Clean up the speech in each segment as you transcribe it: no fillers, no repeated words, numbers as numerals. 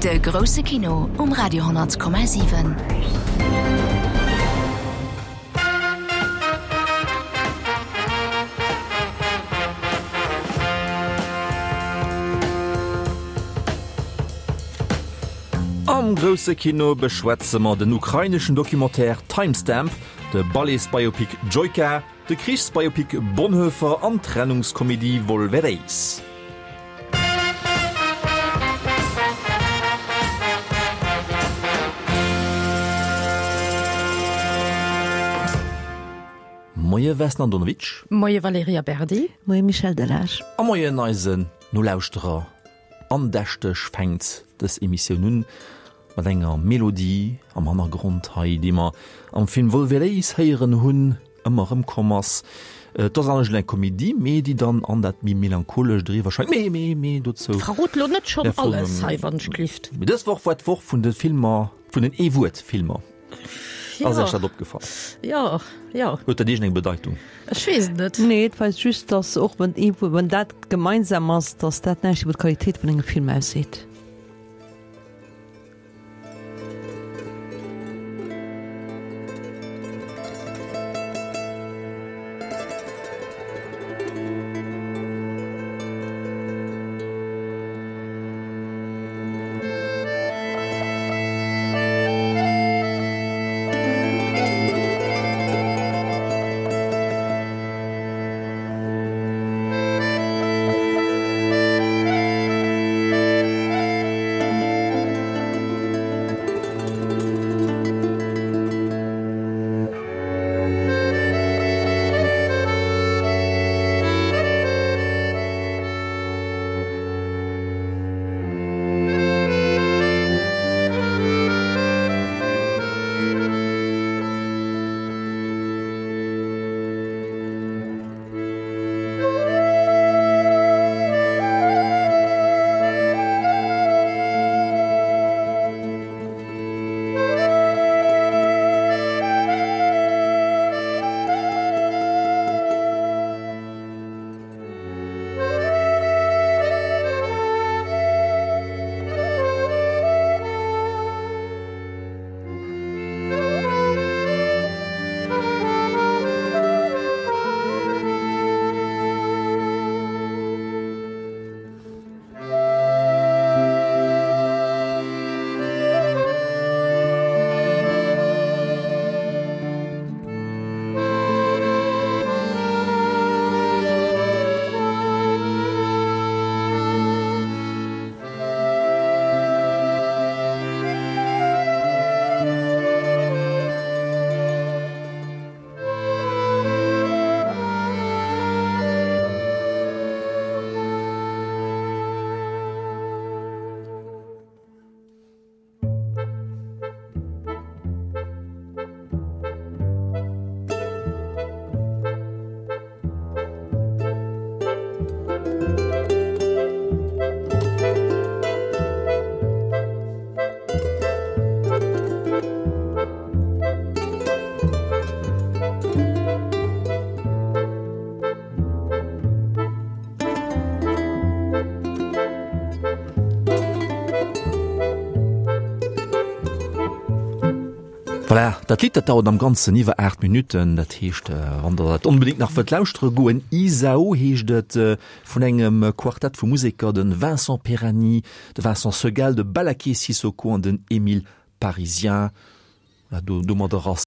De grousse Kino um Radio 10,7. Am grousse Kino beschwätze mer den ukraineschen Documentaire Timestamp, de Balletsbiopic Joika, De Krichsbiopic Bonhoeffer an d'Trennungskomedie Volvereis. Moie Vesna Andonovic. Moie Valerija Berdi. Moie Michel Delage. A moien eisen Nolauschterer. Andächteg fänkt dës Emissioun un mat enger Melodie am Hannergrond hei, déi mer am Film Volvereis héieren hunn, ëmmer erëmkomm ass. Et ass anescht eng Komedie, mee déi dann an dat méi Melancholescht eriwwer schengt. Mee, mee, mee dozou. Verrot lo net schonn alles hei, wann ech glift. Mee dës Woch war d'Woch vun de Filmer, vun den Ee-Wuert-Filmer. Ass Iech dat opgefall? Jo, jo. Huet dat iergendeng Bedeitung? Ech weess et net. Nee, et weist just, dass och wann ee, wann dat gemeinsam ass, dass dat näischt iwwer d'Qualitéit vun engem Film ausseet. Voilà, dat Lidd dat dauert am Ganzen iwwer 8 Minutten. Dat heescht, wann der dat onbedéngt nach wëllt lauschtere goen, Isao heescht et, vun engem Quartett vu Museker, de Vincent Peirani, de Vincent Seguel, de Ballaké Sissoko an den Émile Parisien. Voilà, do, domadder ass.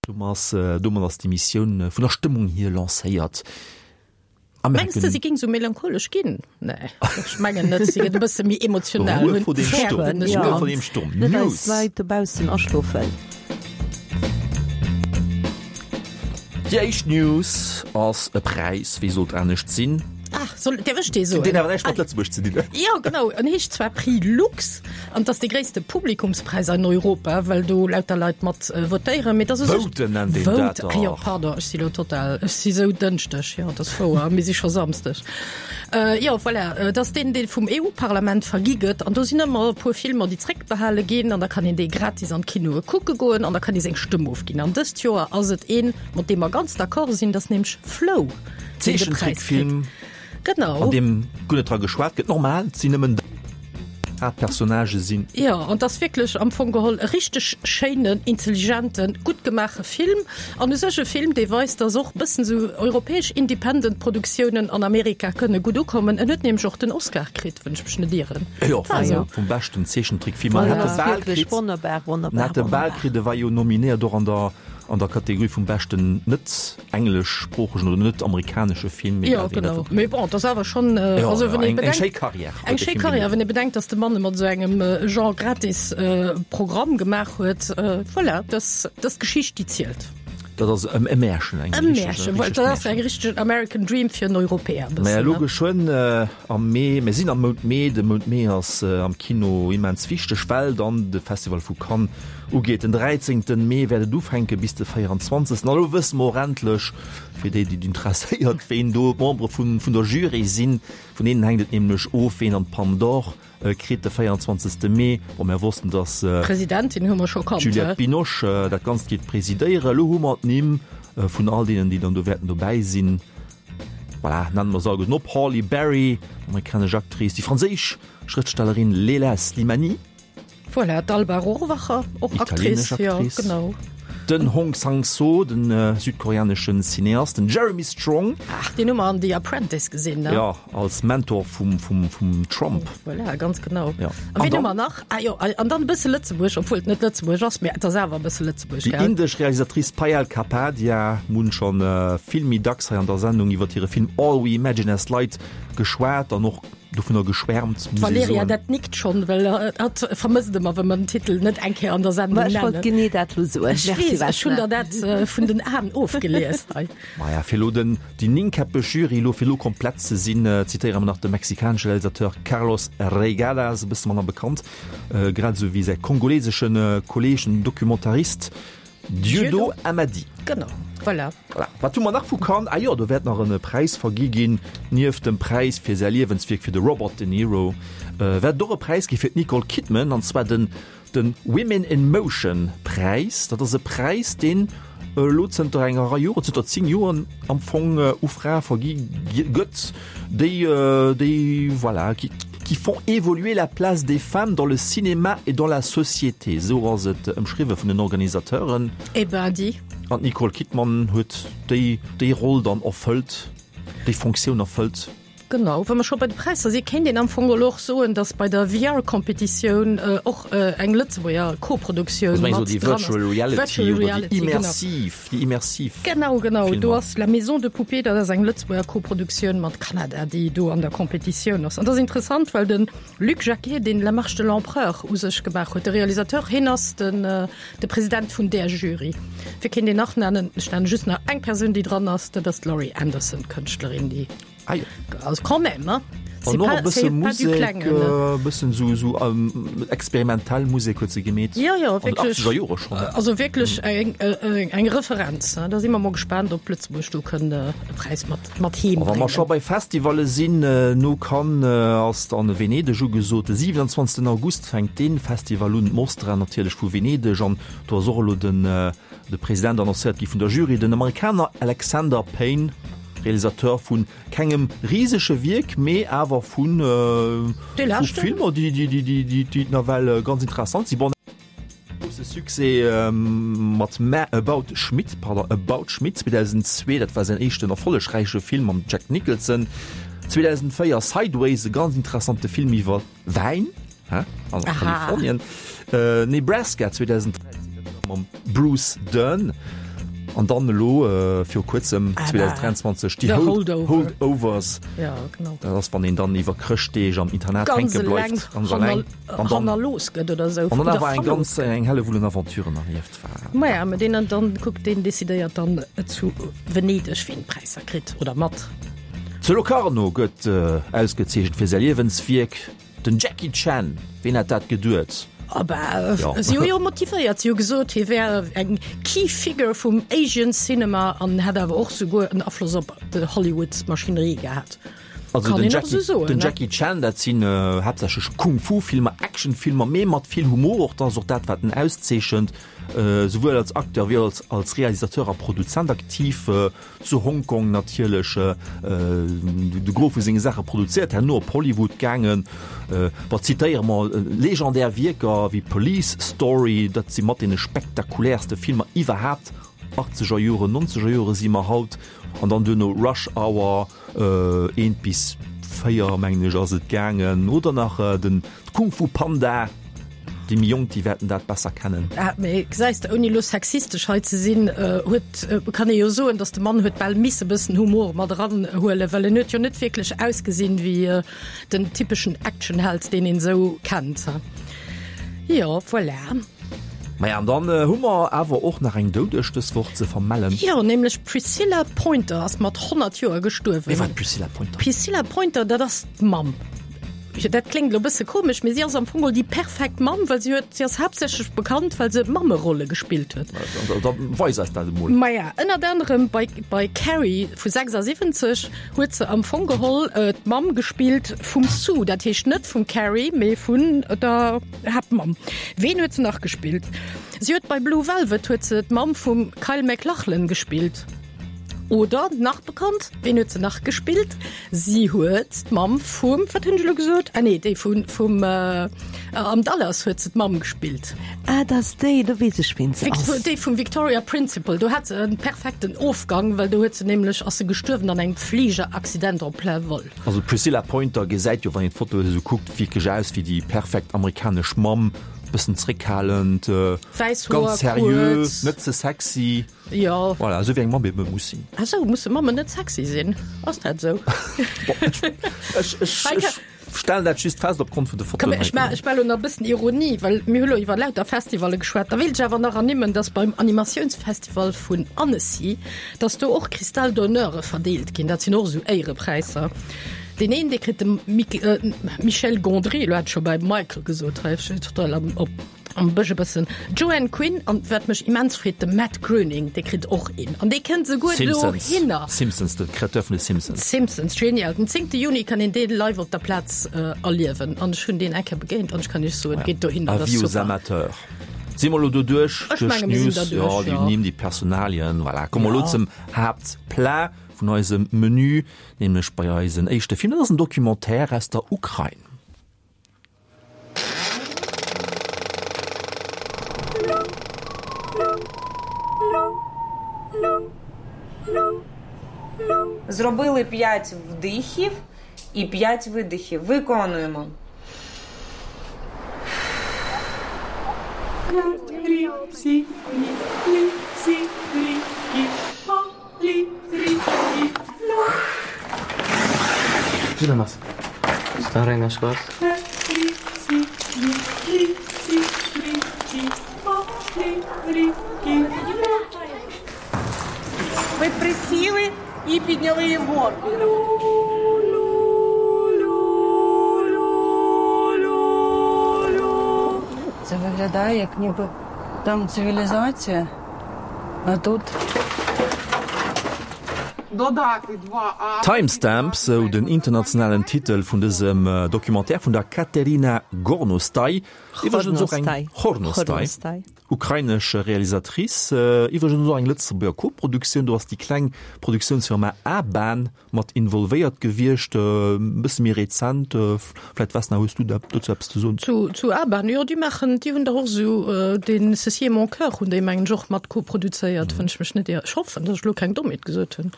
Domat ass d'Emissioun vun der Stëmmung hier lancéiert. Mengs de, si géing sou melancholesch ginn? Nee, ech mengen net. Si gëtt e bësse méi emotional. Ruhe vor dem Sturm. Ruhe vor dem Sturm. Net eis Leit dobaussen aschlofen. Déi éischt News ass e Präis, wéi sollt anescht sinn? Ah, soll, däerf ech dee soen? Deen awer näischt mat Lëtzebuerg ze dinn huet. Jo, genau. En heescht zwar Prix Lux an et ass dee gréisste Publikumspräis an Europa, well do lauter Leit mat votéieren, mee et ass u sech. Voten nennt een dat dach. Jo, pardon, ech si lo total, ech si sou Dënschdeg, jo, et ass wouer, mir si scho Samsdeg. Jo, voilà, et ass deen, dee vum EU-Parlament vergi gëtt an do sinn ëmmer e puer Filmer, déi zréckbehale ginn an da kann een déi gratis an d'Kinoe kucke goen an da kann ee seng Stëmm ofginn. An dëst Joer ass et een, mat deem mer ganz d'accord sinn, dat ass nämlech Flow. Zeechentrickfilm, genau. An deem guer net dra geschwat gëtt. Normal, et sinn nëmmen. Haaptpersonnagë sinn. Jo, an 't ass wierklech am Fong geholl e richteg schéinen, intelligenten, gutt gemaache Film. An u sech e Film, dee weist, dass och bëssen esou europäesch Independent Produktiounen an Amerika kënne gutt ukommen. En huet nämlech och den Oscar kritt, wann ech mech net ieren. Jo, vum beschten Zeechentrickfilm. An en hat e bal kritt. Wonnerbar, wonnerbar, En hat e bal kritt, e war jo nominéiert och an der an der Kategorie vum beschten net engleschsproochegen oder net amerikanesche Film. Jo, genau. Mee bon, et ass awer schonn, also wann ee bedenkt, eng schéi Karriär. Eng schéi Karriär, wann ee bedenkt, datt de Mann mat esou engem Genre gratis Programm gemaach huet. Voilà, dat ass d'Geschicht, déi zielt. Dat ass e Märchen, eng E Märchen, voilà, dat ass eng richteg American Dream fir en Europäer e bëssen. Mä elo geschwënn am Mee, mir sinn am Mount Mee, de Mount Mee ass am Kino immens wichteg, well dann de Festival vu Cannes ugeet. Den 13 Mee wäert et ufänke bis de 24. An elo wësse mer och endlech, fir déi, déi et interesséiert, ween do d'Membere vun der Jury sinn. Vun deenen hänkt et nämlech of, ween an d'Palme d'Or kritt de 24. Mee. Bon, mär wossten, datt D'Presidentin hu mer scho kannt, d'Juliette Binoche dat Ganzt géif presidéieren. Elo hu mer d'Nimm vun all deenen, déi dann do wäerten dobäi sinn. Voilà, nennen mer se alleguerten op, Halle Berry, amerikanesch Actrice, déi franséisch Schrëftstellerin Léla Slimani, Voilà, d'Alba Rohrwacher, och Actrice, Actrice, ja, genau. Den Hong Sang-soo, den südkoreaneschen Cineast, den Jeremy Strong. Ach, deen hu mer an The Apprentice gesinn, ne? Jo, als Mentor vum, vum, vum Trump. Voilà, ganz genau. Ja. A wien hu mer nach? Ah jo, an dann e bësse Lëtzebuerg, obwuel et net Lëtzebuerg ass, mä et ass awer e bësse Lëtzebuerg, Déi indesch Realisatrice Payal Kapadia, mir hunn scho vill méi dacks hei an der Sendung iwwer hire Film All We Imagine As Light geschwat an och dovunner geschwärmt, muss ee D'Valerija, soen. dat nickt schonn, well hatt vermësst ëmmer, wa mer den Titel net eng Kéier an der Sendung Ma ech wollt nennen. genee dat elo soen. Ech Merci, weess, ech hunn Vesna. der dat vun den Aen ofgelies hei. Maja, fir elo den, déi néngkäppeg Jury elo fir elo komplett ze sinn, zitéiere mer nach de mexikanesche Realisateur Carlos Reygadas, e bësse manner bekannt, grad esou wéi säi kongolesesche Kolleeg, den Documentarist Dieudo Amadi. Genau, voilà. Voilà. Wat hu mer nach vu Cannes? Ah jo, do wäert nach en Präis vergi ginn. Nieft dem Präis fir säi Liewenswierk fir de Robert De Niro, wäert et och e Präis gi fir d'Nicole Kidman, an zwar den den Women in Motion Präis. Dat ass e Präis, deen elo zënter enger Rei Joren, zënter 10 Joren am Fong u Frae vergi gëtt, déi déi voilà, qui qui font évoluer la place des femmes dans le cinéma et dans la société, esou ass et ëmschriwwe vun den Organisateuren. Eh ben dis. An d'Nicole Kidman huet déi déi Roll dann erfëllt, déi Fonctioun erfëllt. Genau, wa mer scho bei de Präisser si kéint een am Fong elo och soen, datt bei der VR-Competitioun och eng Lëtzebuerger Koproduktioun mat dran ass. Virtual Reality, Virtual Reality, déi immersiv, déi immersiv. Genau, genau, do ass La Maison de Poupée, dat ass eng Lëtzebuerger Koproduktioun mat Kanada, déi do an der Competitioun ass. An dat ass interessant, well de Luc Jacquet, deen La Marche de l'Empereur u sech gemaach huet, de Realisateur, hien ass den de President vun där Jury. Wie kéint een nach nennen? Ech nenne just nach eng Persoun, déi dran ass, dat ass d'Laurie Anderson, d'Kënschtlerin, déi. Ah jo. Also quand même, hein. An och e bësse Musek, e bëssen esou, esou experimentell Musek huet se gemeet. Jo, jo, wierklech. An den 80er Jore schonn. Also wierklech eng, eng Referenz, hein. Da si mer mol gespaant, ob Lëtzebuerg do kënnt e Präis mat, mat heem A wa mer bréngen. scho bei Festivalle sinn, no Cannes ass dann Venedeg ugesot. De 27 August fänkt dee Festival un, d'Mostra natierlech vu Venedeg. An do ass och elo den, de President annoncéiert gi vun der Jury, den Amerikaner Alexander Payne. Realisateur vun kengem risege Wierk, mee awer vu Filmer, déi nawell ganz interessant sinn. Bon, grousse Succès mat About Schmidt, pardon, About Schmidt 2002, dat war säin éischten erfollegräiche Film mam Jack Nicholson. 2004 Sideways, e ganz interessante Film iwwer Wäin hä? An Kalifornien. Äh, Nebraska 2013 mam Bruce Dern. An dann elo äh, viru kuerzem 2023 déi Hold Holdovers. Ja, genau. Dat ass wann een dann iwwer Chrëschtdeeg am Internat hänke bleift. Ganz eleng hannerlooss gëtt oder sou. An dann awer eng ganz eng Hellewull un Aventuren erlieft. Maja, mä deen dann kuckt, deen decidéiert dann zu Venedeg wien d'Präisser kritt oder mat. Zu Locarno gëtt ausgezeechent fir säi Liewenswierk den Jackie Chan. Ween hätt dat geduet? Ah bah, si hu jo motivéiert, si hu gesot, hie wär eng Key Figure vum Asian Cinema an hätt awer och souguer en Afloss op d'Hollywood-Maschinerie gehat. Also Kann den een och Jackie, esou soen, den ne? Jackie Chan, dat sinn haaptsächlech Kung-Fu-Filmer, Action-Filmer, mee mat vill Humor och. Dat ass och dat, wat en auszeechent. Souwuel als Acteur wéi als als Realisateur a Produzent aktiv. Zu Hongkong natierlech de Gros vu senge Saache produzéiert, herno op Hollywood gaangen. Bon, zitéiere mer legendär Wierker wéi Police Story, dat si mat deene spektakuläerste Filmer iwwerhaapt, achtzeger Joren, nonzeger Jore si mer haut, an dann duerno Rush Hour eent bis 4 mengen ech ass et gaangen, oder nach den Kung Fu Panda. Déi méi Jonk, déi wäerten dat besser kennen. Ah, mee gesäis de, ouni elo sexistesch hei ze sinn, huet, kann ee jo soen, datt de Mann huet bal misse bëssen Humor mat eranhuelen, well en huet jo net wierklech ausgesinn wéi den typeschen Actionheld, deen een esou kennt. Jo, voilà. Maja, an dann hu mer awer och nach eng Doudeg dës Woch ze vermellen. Jo, nämlech d'Priscilla Pointer ass mat 100 Joer gestuerwen. Wie war d'Priscilla Pointer? D'Priscilla Pointer, dat ass d'Mamm. Jo, dat kléngt elo e bësse komesch, mee si ass am Fong geholl déi perfekt Mamm, well si huet, si ass haaptsächlech bekannt, well se Mammerolle gespillt huet. Da weis eis dat emol. Maja, ënnert anerem bei, bei Carrie vu 76 huet se am Fong geholl d'Mamm gespillt vum Sue, dat heescht net vum Carrie, mee vun der Haaptmamm. Ween huet se nach gespillt? Si huet bei Blue Velvet huet se d'Mamm vum Kyle MacLachlan gespillt. Oder nach bekannt, ween huet se nach gespillt? Si huet d'Mamm vum, wat hunn ech elo gesot? Ah nee, déi vun, vum, am Dallas huet se d'Mamm gespillt. Ah, dat ass déi, do weess ech ween se ass. Déi vum Victoria Principal, do hat se en perfekten Ofgang, well do huet se nämlech, ass se gestuerwen an engem Fligeraccident en plein vol. Also d'Priscilla Pointer gesäit jo, wann een d'Foto esou kuckt, wierklech aus wéi déi perfekt amerikanesch Mamm, bëssen zréckhalend, Wäiss Hoer, ganz seriö, kuerz. net ze sexy. Jo. Voilà, esou wéi eng Mamm eben muss sinn. Ah sou, musse Mammen net sexy sinn? Ass dat esou? Bon, ech, ech, ech, ech stellen dat just fest opgrond vun de Komm, Fotoen ech ma, ech ma lo nach e bëssen Ironie, well mir hu lo iwwer lauter Festivalle geschwat. Da wéilt ech awer nach ernimmen, dass beim Animatiounsfestival vun Annecy, dass do och Cristal d'Honneure verdeelt ginn. Dat sinn och esou Éierepräisser. Deen een, dee kritt de Mik, Michel Gondry, elo hat ech scho bal Michael gesot, hei, ech sinn total am, op. Am Bësch e bëssen Joanne Quinn an wat mech immens freet, de Matt Groening, dee kritt och een an dee kënnt esouguer Simpsons, dohinner. Simpsons, de Créateur vun de Simpsons. Simpsons, genial. Den 10. Juni kann een dee live op der Plaz erliewen an ech hunn deen eng Kéier begéint an ech kann iech soen, geet dohinner, dat ass Avis aux super. amateurs. Si mer elo doduerch Ech duerch menge mir sinn d'News? derduerch, Jo, déi jo. Nimm, déi Personalien, voilà. Komme mer elo Ja. zum Haaptplat vun eisem Menü, nämlech bei eisen éischte Film. Dat ass en Documentaire aus der Ukrain. Зробили 5 вдихів і 5 видихів. Виконуємо. Старый наш класс. Ви присіли і підняли її вгору. Це виглядає, як ніби там цивілізація, а тут Timestamp, sou den internationalen Titel vun dësem Documentaire vun der Kateryna Gornostai, iwwregens och eng Hornostai, ukrainesch Realisatrice, iwwregens och eng Lëtzebuerger Koproduktioun, do ass déi kleng Produktiounsfirma Aban mat involvéiert gewiescht, e bësse méi rezent. Vläit Vesna, hues du dozou eppes ze soen? Zu zu Aban, jo déi maachen, déi hunn dach och esou deen Ceci est mon cœur hunn déi mengen ech och mat koproduzéiert, wann ech mech net ier, ech hoffen, datt ech elo keng Dommheet gesot hunn.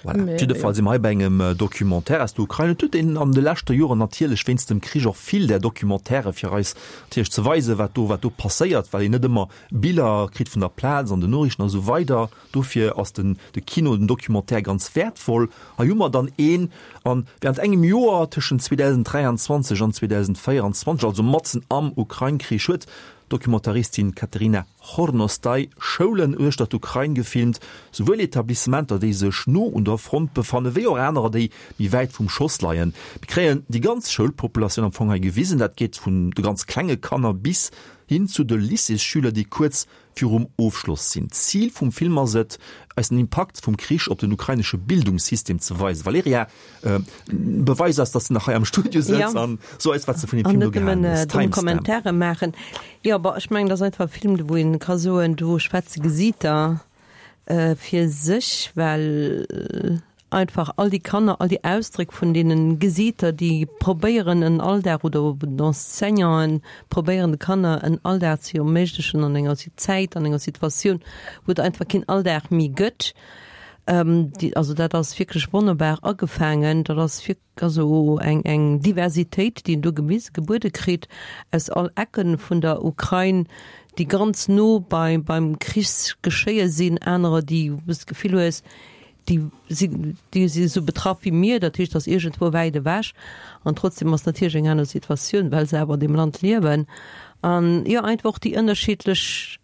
Voilà, op jidde Fall si mer hei bei engem Documentaire aus der Ukrain. Et huet een an de leschte Joren natierlech wéinst dem Krich och vill där Documentairë fir eis natierlech ze weisen, wat do wat do passéiert, well een net ëmmer Biller kritt vun der Plaz an den Noriichten a sou weider. Dofir ass den de Kino, den Documentaire ganz wäertvoll. Hei hu mer dann een, an während engem Joer tëschent 2023 an 2024, also matzen am Ukrain-Krich, huet d'Dokumentaristin Kateryna Chornostai Schoulen uechter d'Ukrain gefilmt, souwuel Etablissementer, déi sech no un der Front befannen, wéi och anerer, déi méi wäit vum Schoss leien. Mir kréien déi ganz Schoulpopulatioun am Fong hei gewisen, dat geet vun de ganz klenge Kanner bis. Hin zu de Lycéesschüler, déi kuerz virum Ofschloss sinn. D'Zil vum Film ass et, eis den Impakt vum Krich op den ukrainesche Bildungssystem ze weisen. Valerija, beweis eis, dass de nach hei am Studio sëtz an so eis, wat s de vun deem Film do gehalen hues. An net nëmmen domm Kommentare maachen. Jo, bon, ech mengen, dat ass einfach e Film, wou ee ka soen, do schwätze Gesiiter fir sech, well einfach all déi Kanner, all déi Ausdréck vun deene Gesiiter, déi probéieren en Alldag oder d'Enseignanten probéieren de Kanner en Alldag ze erméiglechen an enger Zäit, an enger Situatioun, wou et einfach keen Alldag méi gëtt. Déi, also dat ass wierklech wonnerbar agefaangen. Dat ass wierk, also eng, eng Diversitéit, déi een do gewise, gebuede kritt aus all Ecken vun der Ukrain, déi ganz no bei, beim Krichsgeschéie sinn, anerer, déi, wou s de d'Gefill hues, déi sinn, déi si esou betraff wéi mir, dat heescht, ass iergendwou wäit ewech an trotzdem ass natierlech eng aner Situatioun, well se awer an deem Land liewen. An jo, einfach och déi ënnerschiddlech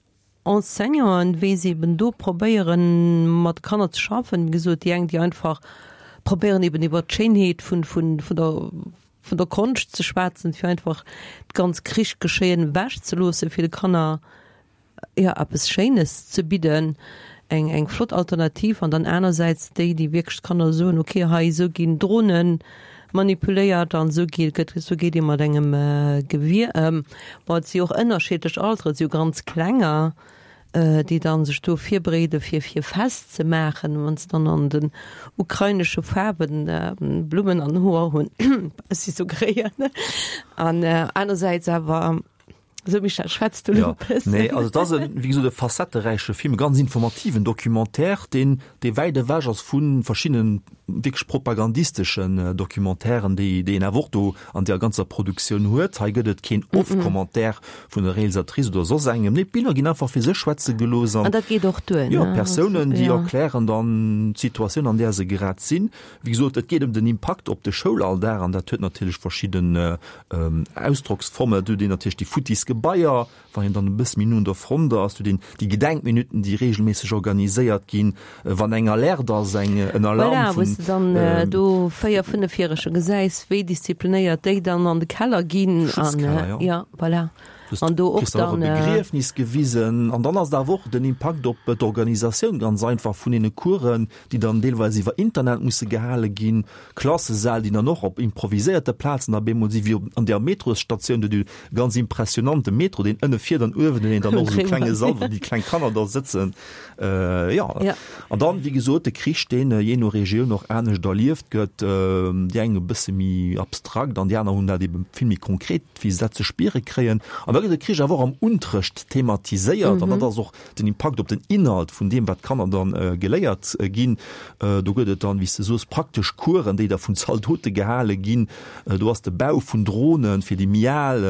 Enseignanten, wéi se eben do probéieren, mat de Kanner ze schaffen. Wéi gesot, déi eng, déi einfach probéieren eben iwwert d'Schéinheet vun, vun, vun der, vun der Konscht ze schwätzen, fir einfach d'ganz Krichsgeschéien ewechzeloossen, fir de Kanner jo, eppes Schéines ze bidden, eng, eng flott Alternativ. An dann anersäits déi, déi wierklech d'Kanner soen, okay, hei esou ginn Drone manipuléiert an esou geet, gëtt, esou geet ee mat engem Gewier ëm. Bon, et si och ënnerschiddlech Alteren, et si jo ganz Klenger, déi dann sech do virbereede fir, fir Fest ze maachen, wann se dann an den ukrainesche Faarwen Blummen an Hoer hunn, ech si sou geréiert. An anersäits awer Sou Michel, schwätz du lo e bëssen. Nee, also et ass e, wéi gesot, e facetteräiche Film, e ganz informativen Documentaire, deen, dee wäit ewech ass vu verschiddenen wierklech propagandisteschen Documentairen, déi, déi een awer och do an där ganzer Produktioun huet. Hei gëtt et keen Off-Commentaire vun der Realisatrice oder soss engem. Nee, d'Biller ginn einfach fir sech schwätze gelooss an. An dat geet och duer, ne? Jo, d'Persounen, déi erklären dann d'Situatioun, an där se grad sinn. Wéi gesot, et geet ëm den Impakt op de Schoulalldag an dat huet natierlech verschidden Ausdrocksformen, et huet een natierlech déi futtis Gebaier, wann een dann e bësse méi no un der Front ass, huet een déi Gedenkminuten, déi reegelméisseg organiséiert ginn, wann eng Alerte ass, eng en Alarm Voilà, wou s de dann do 4, 5-Järeger gesäis, wéi disziplinéiert déi dann an de Keller ginn. Schutzkeller, jo. Ja, voilà. An do och dann. E Begriefnis gewisen. An dann ass et awer och den Impakt op d'Organisatioun ganz einfach vun deene Coursen, déi dann deelweis iwwer Internet musse gehale ginn, Klassesäll, déi dann och op improviséierte Plazen op eemol sinn, wéi op an där Metrosstatioun, do dee ganz impressionante Metro, deen ënne fiert an uewen huet een dann och esou e klenge Sall, wou déi kleng Kanner da sëtzen. Jo, an dann, wéi gesot, de Krich, deen jee no Regioun och anescht erlieft gëtt, déi eng e bësse méi abstrakt an déi aner hunn dat ebe vill méi konkret, wéi se dat ze spiere kréien. An da gëtt de Krich awer och am Unterrecht thematiséiert an dat ass och den Impakt op den Inhalt vun deem, wat d'Kanner dann geléiert ginn. Do gëtt et dann, wéi s de soos, praktesch Coursen, déi da vun Zaldote gehale ginn. Do ass de Bau vun Drohne fir déi méi al,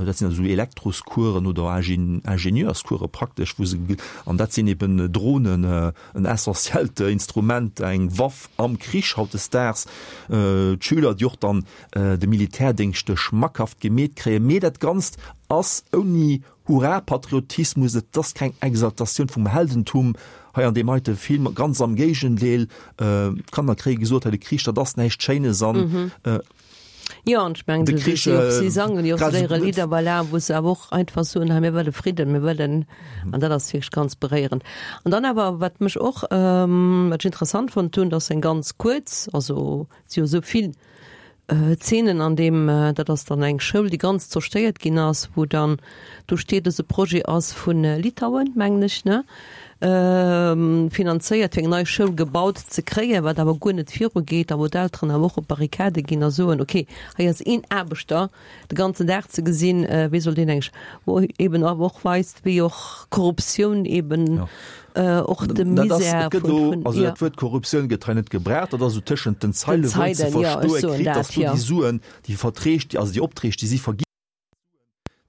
dat sinn also esou Elektroscoursen oder Ingenieurscourse praktesch, wou se, an dat sinn eben Drohnen, en essentiellt Instrument, eng Waff am Krich hautdesdaags. D'Schüler, déi och dann de Militärdéngscht schmackhaft gemeet kréien. Mee dat Ganzt ass ouni Hurra-Patriotismus, et ass keng Exaltatioun vum Heldentum hei an deem heite Film, ganz am Géigendeel, d'Kanner kréie gesot, hei de Krich, dat ass näischt Schéines an Jo, an ech mengen, de Krich, si sangen jo och hire Lidder, voilà, wou se awer och einfach soen, hei mir wëlle Fridden, mir wëllen, an dat ass wierklech ganz beréierend. An dann awer, wat mech och, wat ech interessant fonnt hunn, dass eng ganz kuerz, also et si jo esou vill Zeenen an deem, dat ass dann eng Schoul, déi ganz zerstéiert ginn ass, wou dann do steet, dass e Projet ass vu Litauen, mengen ech, ne, finanzéiert, fir eng nei Schoul gebaut ze kréien, wat awer guer net virugeet a wou d'Elteren awer och op d'Barrikade ginn a soen, okay, hei ass een Aarbechter de ganzen Dag ze gesinn, wéi soll deen eng, wou eben awer och weist, wéi och Korruptioun eben och de Misär vun, also dat Wuert Korruptioun gëtt hei net gebraucht, dat ass esou tëschent den Zeile wou een ze verstoe kritt, datt do déi Suen, déi Verträg, also déi Opträg, déi si vergi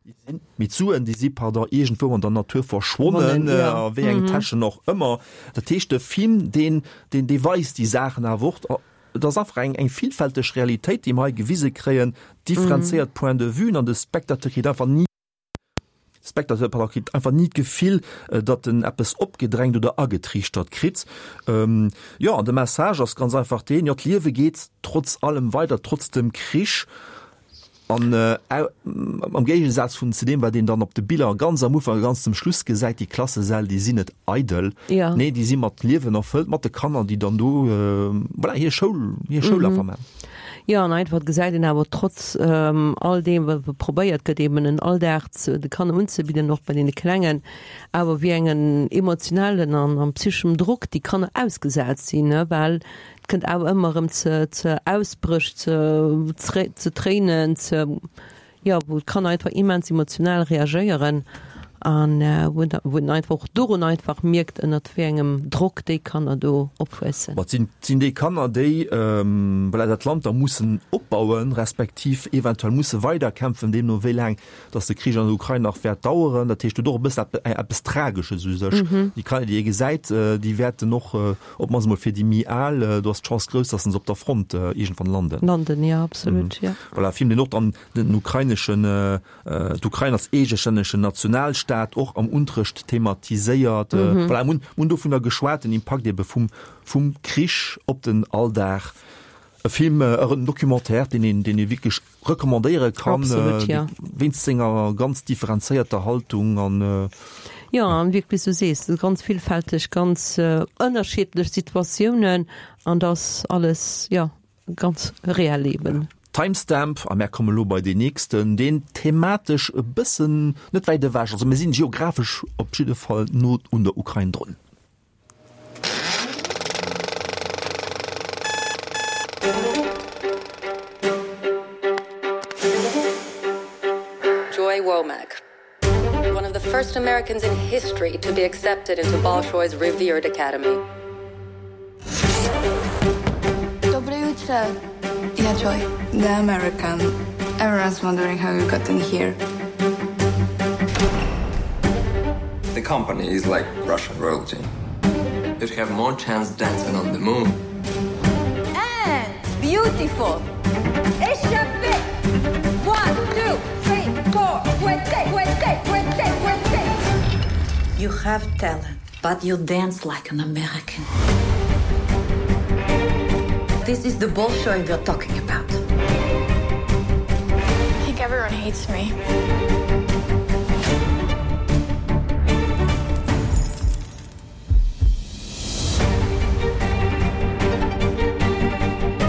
sinn, mee d'Suen, déi si, pardon, iergendwou an der Natur verschwonnen, a wéi engen Täschen och ëmmer. Dat heescht, de Film, deen, deen, dee weist déi Saachen awer och. Et ass einfach eng, eng villfälteg Realitéit, déi mer hei gewise kréien, differenzéiert Point de vuen an de Spectateur kritt einfach ni, Spectateur, pardon, kritt einfach ni d'Gefill, datt en eppes opgedrängt oder agetriichtert kritt. Jo, an de Message ass ganz einfach deen, jo, d'Liewe geet trotz allem weider, trotz dem Krich. An am Géigesaz vun zu deem, wat een dann op de Biller ganz am Ufank a ganz zum Schluss gesäit, déi Klassesäll, déi sinn net eidel. Ja. Nee, déi si mat Liewen erfëllt, mat de Kanner, déi dann do, voilà, hir Schoul, hir Schoul einfach maachen. Jo, an einfach gesäit een awer trotz all deem, wat probéiert gëtt, eben en Alldag ze de Kanner unzebidden, och bei deene Klengen, awer wéi engen emotionellen an an psycheschem Drock déi Kanner ausgesat sinn, ne, well Et kënnt awer ëmmer erëm ze ze Ausbréch, ze ze Tréinen, ze jo wou d'Kanner einfach immens emotional reagéieren an wou da wou een einfach och dorun einfach mierkt ënnert wéi engem Drock déi Kanner do opwuessen. Ma et sinn et sinn déi Kanner déi voilà dat Land da mussen opbauen, respektiv eventuell musse weiderkämpfen, deemno wéi laang datt de Krich an der Ukrain nach wäert daueren. Dat heescht huet och e bëssen eppes Tragesches u sech. Déi Kanner déi ee gesäit, déi wäerten och Op d'mannst emol fir déi méi al, do ass d'Chance grouss, dass se op der Front iergendwann landen. Landen, jo, absolut, jo. Voilà, Film, deen och dann den ukraineschen, d'Ukrain als eegestännegen Nationalstaat och am Unterrecht thematiséiert. Voilà, mir hunn dovunner geschwat, den Impakt ebe vum, vum Krich op den Alldag. E Film, en Documentaire, deen een, deen ee wierklech recommandéiere kann, Absolut, ja. wéinst senger ganz differenzéierter Haltung an. Jo, an wierklech, wéi s du sees, ganz villfälteg, ganz ënnerschiddlech Situatiounen an dass alles, jo, ganz reell eben. Timestamp, a mär komme lo bei deen nächsten, deen thematesch e bëssen net wäit ewech, also mir sinn geographesch op jidde Fall no un der Ukrain drun. Joy Womack, one of the first Americans in history to be accepted into Bolshoi's revered academy. Доброе утро. Yeah, Joy, the American. Everyone's wondering how you got in here. The company is like Russian royalty. You'd have more chance dancing on the moon. And beautiful. Échappé. 1, 2, 3, 4, fouetté, fouetté, fouetté, fouetté. You have talent, but you dance like an American. This is the Bolshoi we're talking about. I think everyone hates me.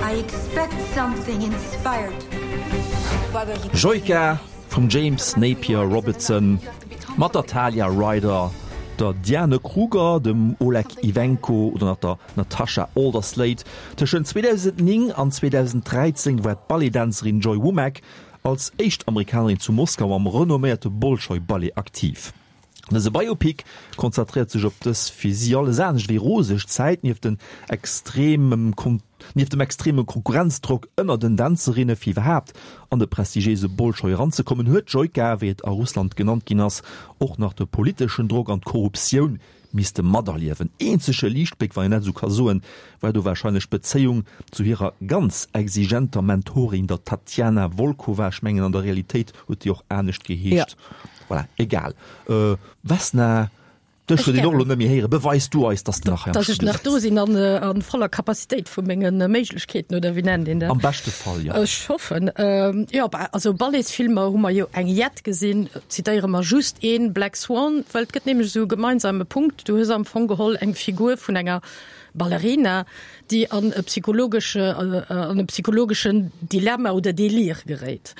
I expect something inspired. Joika vum James Napier Robertson mat der Talia Ryder, der Diane Kruger, dem Oleg Ivenko oder nach der Natasha Alderslade. Tëschent 2009 an 2013 war d'Balletdänzerin Joy Womack als éischt Amerikanerin zu Moskau am renomméierte Bolschoi-Ballet aktiv. Dëse Biopic konzentréiert sech op dës fir si alles anescht wéi roseg Zäit. Nieft den extremem nieft dem extreme Konkurrenzdrock ënner den Dänzerinne fir iwwerhaapt an de prestigiéise Bolschoi eranzekommen, huet d'Joika, wéi et a Russland genannt ginn ass, och nach de politeschen Drock an d'Korruptioun misste materliewen. Eenzege Liichtbléck, wann een dat esou ka soen, war do warscheinlech d'Bezéiung zu hirer ganz exigenter Mentorin, der Tatjana Wolkowa. Ech mengen, an der Realitéit huet déi och anescht geheescht. Voilà, egal. Vesna, dech huet een och elo net méi héieren. Beweis du eis, dass de nach hei am Dass ech Studio nach do sëtz. sinn an a voller Capacitéit vu menge Méiglechkeeten, oder wéi nennt een dat? Am beschte Fall, jo. Ech hoffen. Jo, also Balletsfilmer hu mer jo eng jett gesinn. Zitéiere mer just een, Black Swan, well et gëtt nämlech esou e gemeinsame Punkt, Du hues am Fong geholl eng Figur vun enger Ballerina, déi an e psychologesche, an e psychologeschen Dilemma oder Delire geréit.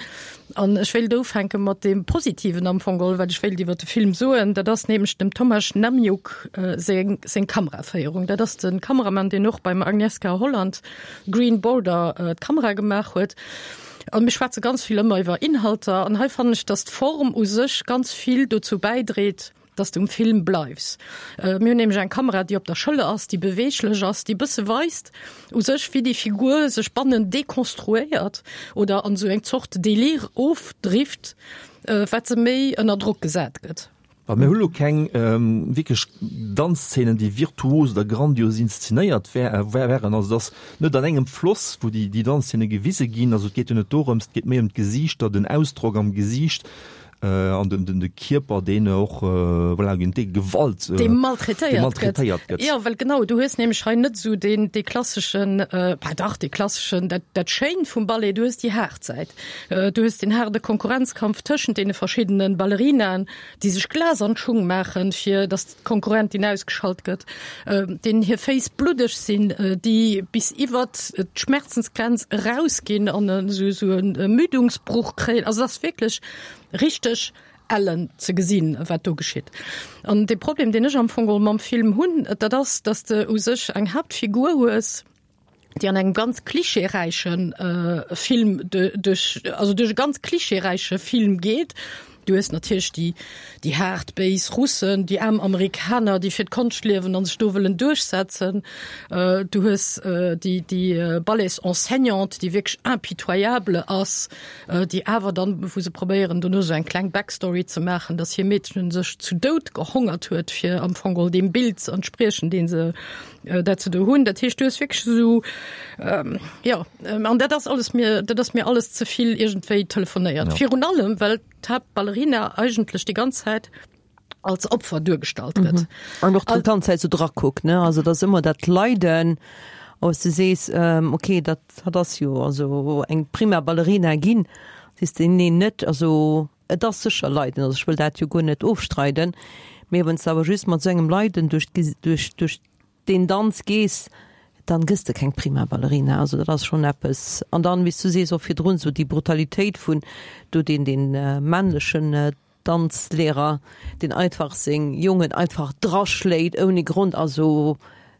An ech wéilt ufänke mat deem Positiven am Fong geholl, wat ech wéilt iwwer de Film soen. Dat ass nämlech dem Tomasz Namiuk seng, seng Kameraféierung. Dat ass de Kameramann, deen och beim Agnieszka Holland Green Border d'Kamera gemaach huet. A mir schwätze ganz vill ëmmer iwwer Inhalter an hei fannen ech, dass d'Form u sech ganz vill dozou bäidréit, dass de um Film bleifs. Mir hunn nämlech eng Kamera, déi op der Schëller ass, déi beweeglech ass, déi e bësse weist u sech, wéi déi Figur sech bannen dekonstruéiert oder an esou eng Zort Delire ofdrift, wat se méi ënner Drock gesat gëtt. Well mir hu lo keng wierklech Danzzeenen, déi virtuos oder grandios inszenéiert wären. Also et ass net an engem Floss, wou déi Danzzeene gewise ginn. Also et geet jo net dorëms, et geet méi ëm d'Gesiichter, den Ausdrock am Gesiicht. An den, den, de Kierper, deen och, voilà, géint dee Gewalt, dee maltraitéiert, maltraitéiert gëtt. Jo, well genau, du hues nämlech hei net esou deen, dee klasseschen, bah dach, dee klasseschen, dat, dat Schéint vum Ballet, du hues déi haart Säit. Du hues deen haarde Konkurrenzkampf tëschent deene verschiddene Ballerinaen, déi sech Glas an d'Schung maachen, fir datt d'Konkurrentin ausgeschalt gëtt, deenen hir Féiss bluddeg sinn, déi bis iwwert d'Schmerzensgrenz erausginn an esou e Ermüdungsbruch kréien. Also et ass wierklech richteg ellen ze gesinn, wat do geschitt. An de Problem, deen ech am Fong geholl mam Film hunn, dat ass, datt s de u sech eng Haaptfigur hues, déi an engem ganz klischeeräiche Film duerch, also duerch e ganz klischeeräiche Film geet. Du hues natierlech déi, déi haart, béis Russen, déi aarm Amerikaner, déi fir d'Konscht liewen an sech do wëllen duerchsetzen. Du hues déi, déi Balletsenseignante, déi wierklech impitoyable ass, déi awer dann, wou se probéieren dono esou eng kleng Backstory ze maachen, dass hir Meedchen sech zu Doud gehongert huet, fir am Fong geholl deem Bild ze entspriechen, dee se dat ze do hunn. Dat heescht, du hues wierklech esou, jo, an dat ass alles mir, dat ass mir alles ze vill iergendwéi telefonéiert. Ja. Virun allem, well d'Haaptballerina eigentlech déi ganz Zäit als Opfer duergestallt gëtt. Mhm. An och déi ganz Zäit sou drakuckt, ne? Also dat ass ëmmer dat Leiden, wou s du sees, okay, dat, dat ass jo also eng prima Ballerina ginn, sees de, nee, net, also Et ass sécher Leiden, also ech wëll dat jo guer net ofstreiden, mee wann s de awer just mat esou engem Leiden duerch duerch duerch deen Danz gees, dann gëss de keng prima Ballerina. Also dat ass schonn eppes. An dann, wéi s du sees, och virdrun esou déi Brutalitéit vun do deen deen männlechen Danzlehrer, deen einfach seng Jongen einfach draschléit ouni Grond. Also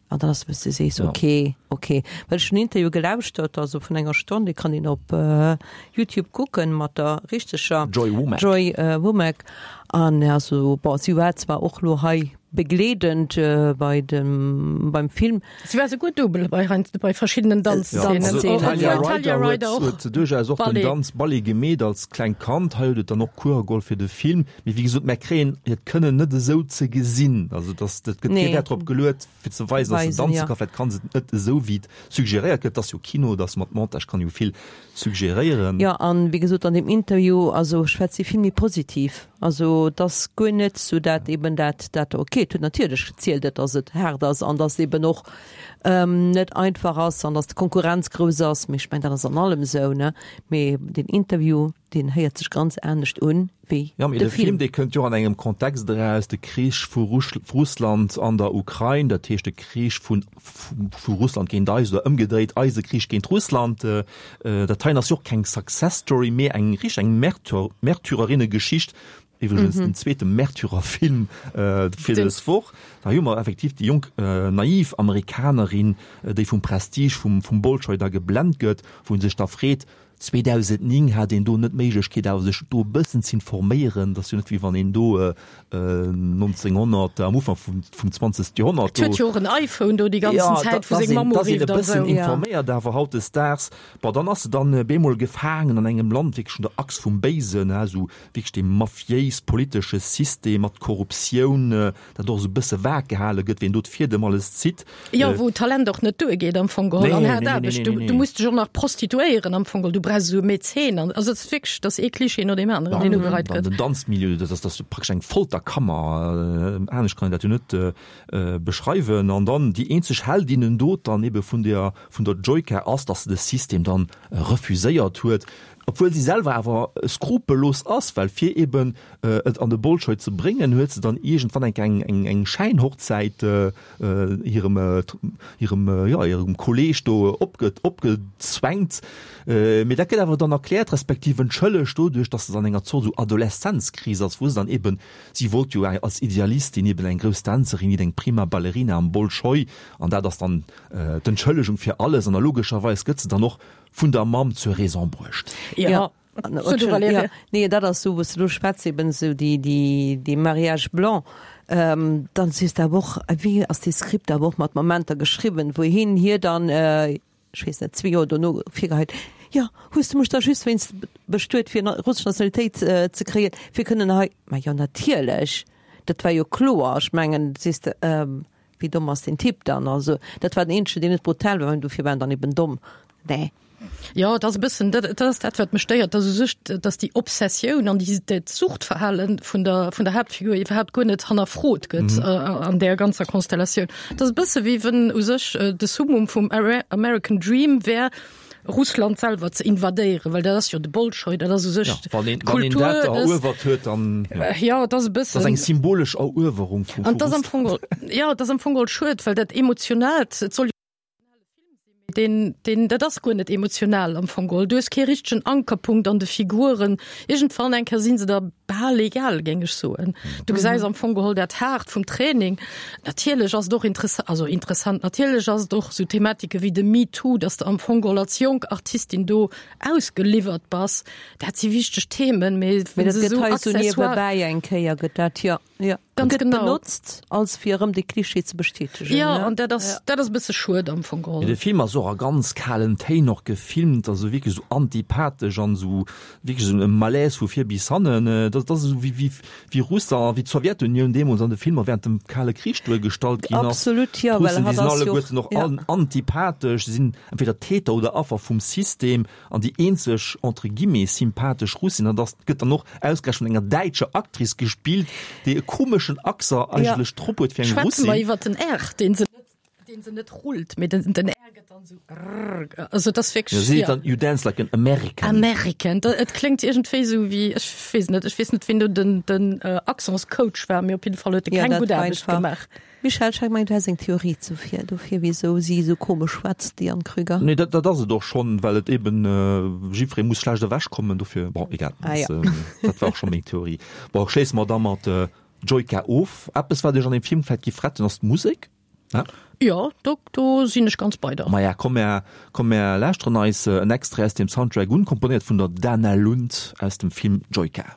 An dann ass wou s de sees, okay, okay. Well ech hunn en Interview gelauschtert, also vun enger Stonn, dee kann een op Youtube kucken, mat der richteger Joy Womack. Joy Womack. An also bon, si war zwar och lo hei begleedend bei dem, beim Film. Si war souguer Double bei heiansdo bei verschiddenen Danzszenen. Also d'Talia Ryder huet, huet duerchaus och den Danz Ballet gemeet als klengt Kand. Hei huet et dann och Cours geholl fir de Film. Mee wéi gesot, mär kréien hiert Kënnen net esou ze gesinn. Also dass, dat gëtt kee Wäert drop geluet, fir ze weisen, dass se danze ka. Vläicht kann se et net esou, wéi et suggeréiert gëtt. Et ass jo Kino, dass mat Montage kann jo vill suggeréieren. Jo, an wéi gesot, an deem Interview, also schwätzt si vill méi positiv. Also et ass guer net esou dat eben dat, dat okay, et huet natierlech gezielt, et dass et haart ass an dass eben och net einfach ass an dass d'Konkurrenz grouss ass. Mee ech mengen, dat ass an allem esou, ne? Mee deen Interview, deen héiert sech ganz anescht un wéi Ja, mee de Film, dee kënnt jo an engem Kontext eraus, de Krich vu Russland an der Ukrain, dat heescht de Krich vun vu Russland géint eis oder ëmgedréit, eise Krich géint Russland. Dat heien ass jo och keng Success Story, mee eng richteg eng Märtyrerinnegeschicht, iwwregens den zweete Märtyrerfilm fir dës Woch. Da hu mer effektiv déi jonk naiv Amerikanerin, déi vum Prestige vum vum Bolschoi da geblent gëtt, wou en sech da freet, 2009 hat een do net d'Méiglechkeet awer sech do e bëssen z'informéieren, dat ass jo net wéi wann een do 1900 am Ufank vum vum 20. Joerhonnert do. Et huet jo och en iPhone do déi ganzen Zäit wou seng Mamm urifft an esou. Da ass een e bëssen informéiert awer hautdesdaags, bon dann ass se dann bemol gefaangen an engem Land, wierklech un der Achs vum Béisen, esou wierklech deem mafiéis politesche System mat Korruptioun, dat och esou e bësse vag gehale gëtt, wien do d'Fiedem alles zitt. Jo, wou Talent och net duergeet am Fong geholl an haart Aarbecht. Du, du muss dech och nach prostituéieren am Fong geholl, du brauchs esou e Mäzen an also et ass wierklech, dat ass ee Klischee no deem aneren, deen ugereit gëtt. Den Danzmilieu, dat ass, dat ass praktesch eng Folterkammer, anescht kann een dat jo net beschreiwen. An dann déi eenzeg Heldinnendot dann ebe vun der, vun der Joyka ass, datt se de System dann refuséiert huet, obwuel si selwer awer skrupellos ass, well fir eben et an de Bolschoi ze bréngen, huet se dann iergendwann eng eng eng eng Schäinhochzäit hirem hirem jo hirem Kolleeg do opge opgezwängt. Mee dat gëtt awer dann erkläert, respektiv entschëllegt doduerch, datt se an enger Zort esou Adoleszenzkris ass, wou se dann eben, si wollt jo als Idealistin eben eng grouss Dänzerin ginn, eng prima Ballerina am Bolschoi, an dat ass dann d'Entschëllegung fir alles. An a logescherweis gëtt se dann och vun der Mamm zur Raison bruecht. Ja. Ja, nee, dat ass sou, wou s de lo schwätz, eben sou déi, déi, dee Mariage blanc, ähm, dann sees de awer och, wéi ass dee Skript awer och mat Momenter geschriwwen, wou hien hir dann, äh, ech weess net, zwee Joer dono virgeheit, jo, hues de mech da just wéinst bestuet fir russesch Nationalitéit ze kréien, fir kënnen hei, ma jo natierlech, dat war jo kloer, ech mengen, sees de, ähm, Wéi domm ass deen Typ dann? Also dat war den eenzegen, deen net brutal war, dofir war en dann eben domm. Nee. Jo, et ass e bëssen, dat, dat ass dat, wat mech stéiert, dass u sech, dass déi Obsessioun an déi, dat Suchtverhalen vun der, vun der Haaptfigur iwwerhaapt guer net hannerfrot gëtt an där ganzer Konstellatioun. Et ass e bësse wéi wënn u sech de Summum vum American Dream wär, Russland selwer ze invadéieren, well dat ass jo de Bolschoi, dat ass u sech ja, wann een, wann een dat eruewert huet, dann ja, ja dat ass e bëssen. Dat ass eng symbolesch Eruewerung vu, vu Russland. Ja, dat ass am Fong geholl schued, well dat Emotionaalt, et soll Den, den, dat ass guer net emotional am Fong geholl. Du hues kee richtegen Ankerpunkt an de Figuren. Iergendwann eng Kéier sinn se der bal egal, géing ech soen. Du gesäis am Fong geholl dat Haart vum Training. Natierlech ass et och interessant, also interessant, natierlech ass et och esou Thematike wéi de MeToo, dass de am Fong geholl als jonk Artistin do ausgeliwwert bass. Dat si wichteg Themen, mee Mee dat gëtt hei esou niewebäi eng Kéier gëtt dat, jo. Jo, Ganz gëtt genau. benotzt als fir erëm de Klischee ze bestätegen. Ja, an dat ass, dat ass e bësse schued am Fong geholl. De Film ass och a ganz kalen Téin och gefilmt, also wierklech esou antipathesch an esou wierklech esou e Malaise vu vir bis hannen. Dat ass esou wéi, wéi, wéi Russland, wéi d'Sowjetunioun deemools an de Filmer während dem Kale Krich duergestallt ginn ass. Absolut, jo, well D'Russen, déi hatt sinn ass jo alleguerten och ja. antipathesch, sinn entweder Täter oder Affer vum System. An déi eenzeg, entre guillemets, sympathesch Russin, an dat gëtt dann och ausgerechent vun enger däitscher Actrice gespillt, déi e komeschen Accent eigentlech drop huet fir eng Schwätze mer Russin. iwwer den R, deen se net, deen se net rullt, mee den, den R gëtt dann esou rrr, also et ass Jo, wierklech, si seet ja. dann, You dance like an American. American, da, et kléngt iergendwéi esou wéi, ech weess net, ech weess net, wien do den, den Accentscoach war, mee op jidde Fall huet e Ja, keng dat gutt war Aarbecht einfach. gemaach. Michèle, ech mengen du häss eng Theorie zofir, dofir wisou si esou komesch schwätzt, déi Anne Krüger. Nee, dat, dat ass et och schonn, well et eben, jiddweree muss schlecht ewech kommen, dofir, bon, egal, Ah ja. dat war och scho meng Theorie. Bon, schléisse mer da mat Joyka of. Eppes, wat iech an deem Film vläicht giff retten, ass d'Musek, ne? Jo, do, do sinn ech ganz bei der. Maja, komm mär, komm mär lauschteren eis en Extrait aus deem Soundtrack un, komponéiert vun der Dana Lund aus dem Film Joyka.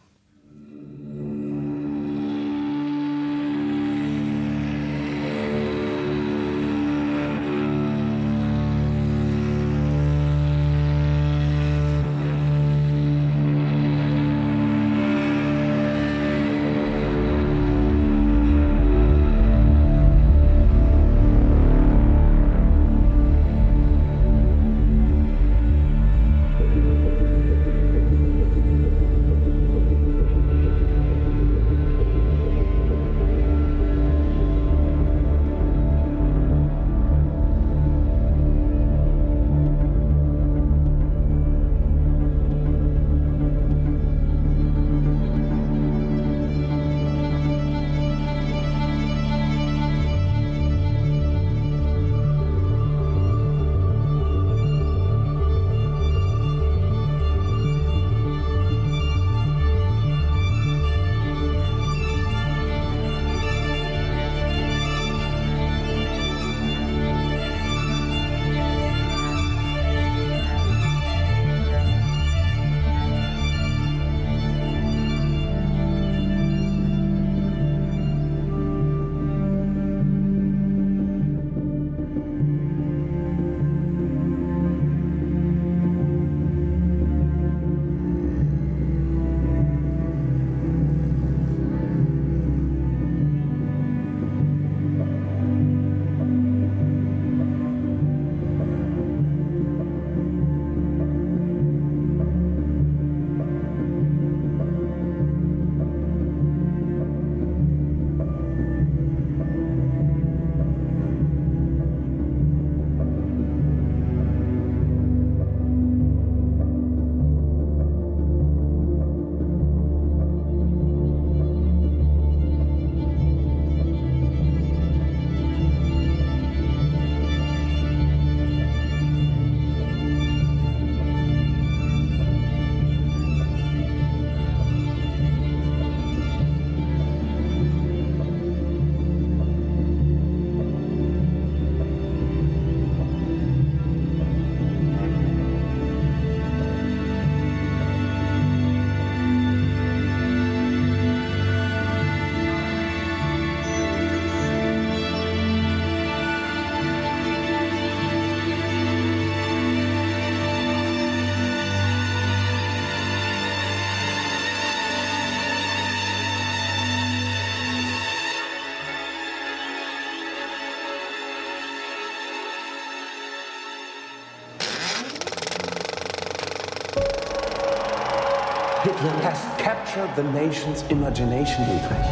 Hitler has captured the nation's imagination, Dietrich.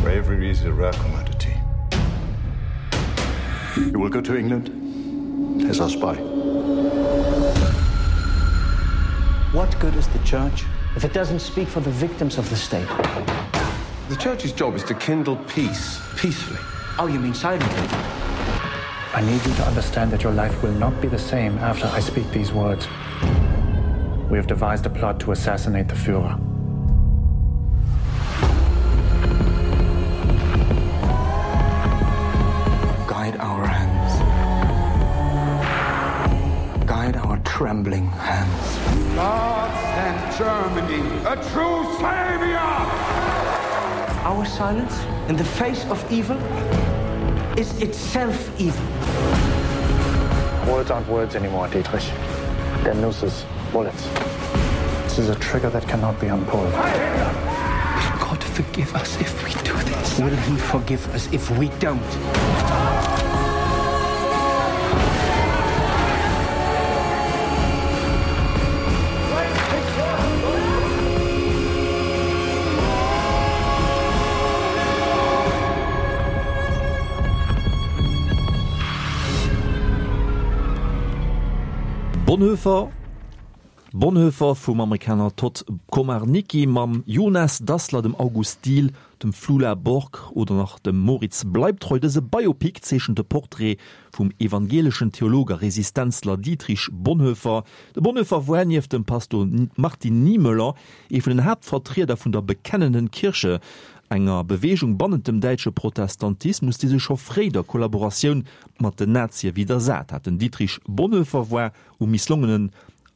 Bravery is a rare commodity. You will go to England as our spy. What good is the church if it doesn't speak for the victims of the state? The church's job is to kindle peace peacefully. Oh, you mean silently? I need you to understand that your life will not be the same after I speak these words. We have devised a plot to assassinate the Führer. Guide our hands. Guide our trembling hands. God sent Germany a true savior! Our silence in the face of evil is itself evil. Words aren't words anymore, Dietrich. They're nooses, bullets. This is a trigger that cannot be unpulled. Will God forgive us if we do this? Will he forgive us if we don't? Bonhoeffer, Bonhoeffer vum Amerikaner Todd Komarnicki mam Jonas Dassler, dem August Diehl, dem Flula Borg oder nach dem Moritz Bleibtreu. Dëse Biopic zeechent de Portrait vum evangeleschen Theolog a Resistenzler Dietrich Bonhoeffer. De Bonhoeffer war nieft dem Pastor Martin Niemöller ee vun den Haaptvertrieder vun der Bekennenden Kirche, enger Beweegung bannent dem däitsche Protestantismus, déi sech scho fréi der Kollaboratioun mat den Nazie widdersat hat. Den Dietrich Bonhoeffer war um misslongenen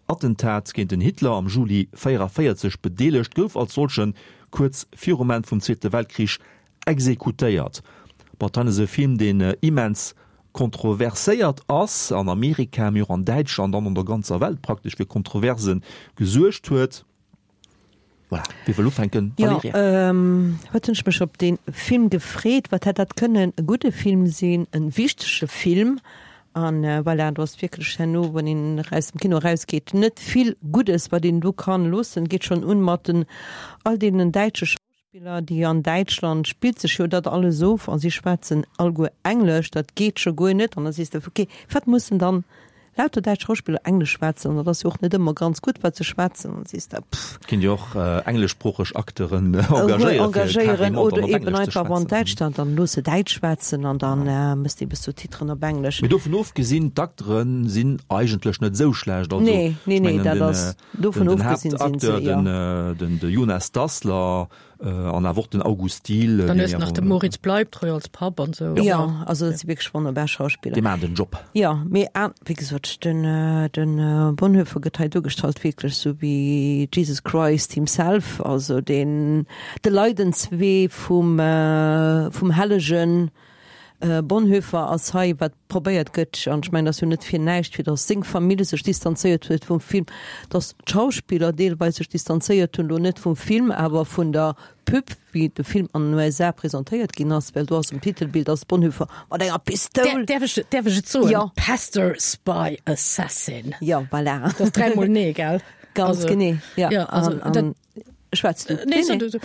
Attentat géint den Hitler am Juli 44 bedeelegt, gouf als solchen kuerz virum Enn vum Zweete Weltkrich exekutéiert. Bon, ass e Film, deen immens kontroverséiert ass, an Amerika, mee och an Däitschland an an der ganzer Welt praktesch fir Kontroverse gesuergt huet. Voilà, wie wëll ufänken? Jo, wat hunn ech mech op dee Film gefreet. Wat hätt dat kënnen e gudde Film sinn, e wichtege Film. An voilà, do ass wierklech herno, wann een aus dem Kino erausgeet, net vill Guddes, wat een do kann loossen. Geet schonn un mat den all deenen däitsche Schauspiller, déi an Däitschland spillt sech jo dat alles of a si schwätzen alleguer Englesch, dat geet scho guer net. An da sees de, okay, wat mussen dann lauter däitsch Schauspiller Englesch schwätzen? An dat ass jo och net ëmmer ganz gutt, wat se schwätzen. An da sees de, pff. Kinnt Dir och engleschsproocheg Acteuren engagéieren, fir carrément dann op Englesch ze schwätzen? Oder eben einfach an Däitschland, dann looss se Däitsch schwätzen an dann méchs de eben Sous-Titren op Englesch. Mee dovun ofgesinn, d'Acteure sinn eigentlech net esou schlecht. Also, nee, nee, nee, dat ass. Dovun ofgesinn sinn se, jo. Den Haaptacteur, de Jonas Dassler an awer och den August Diehl. Dann hues de nach de Moritz Bleibtreu als Papp an esou. Jo, also dat si wierklech wonnerbar Schauspiller. Déi maachen den Job. Jo, mee wéi gesot, den Bonhoeffer gëtt hei duergestallt wierklech esou wéi Jesus Christ himself, also deen, de Leidenswee vum, vum Hellegen. Bonhoeffer ass hei, wat probéiert gëtt, an ech mengen, dat ass jo net fir näischt, fir datt seng Famill sech distanzéiert huet vum Film, datt d'Schauspiller deelweis sech distanzéiert hunn, elo net vum Film, awer vun der Pub, wéi de Film an den USA presentéiert ginn ass, well do ass um Titelbild ass Bonhoeffer mat enger Pistoul. Däerf ech, däerf ech et soen? Jo. Pastor, Spy, Assassin. Jo, voilà. Dat ass dräimol nee, gell? Ganz genee, jo. Jo, also dat. Schwätz du. Nee, so du.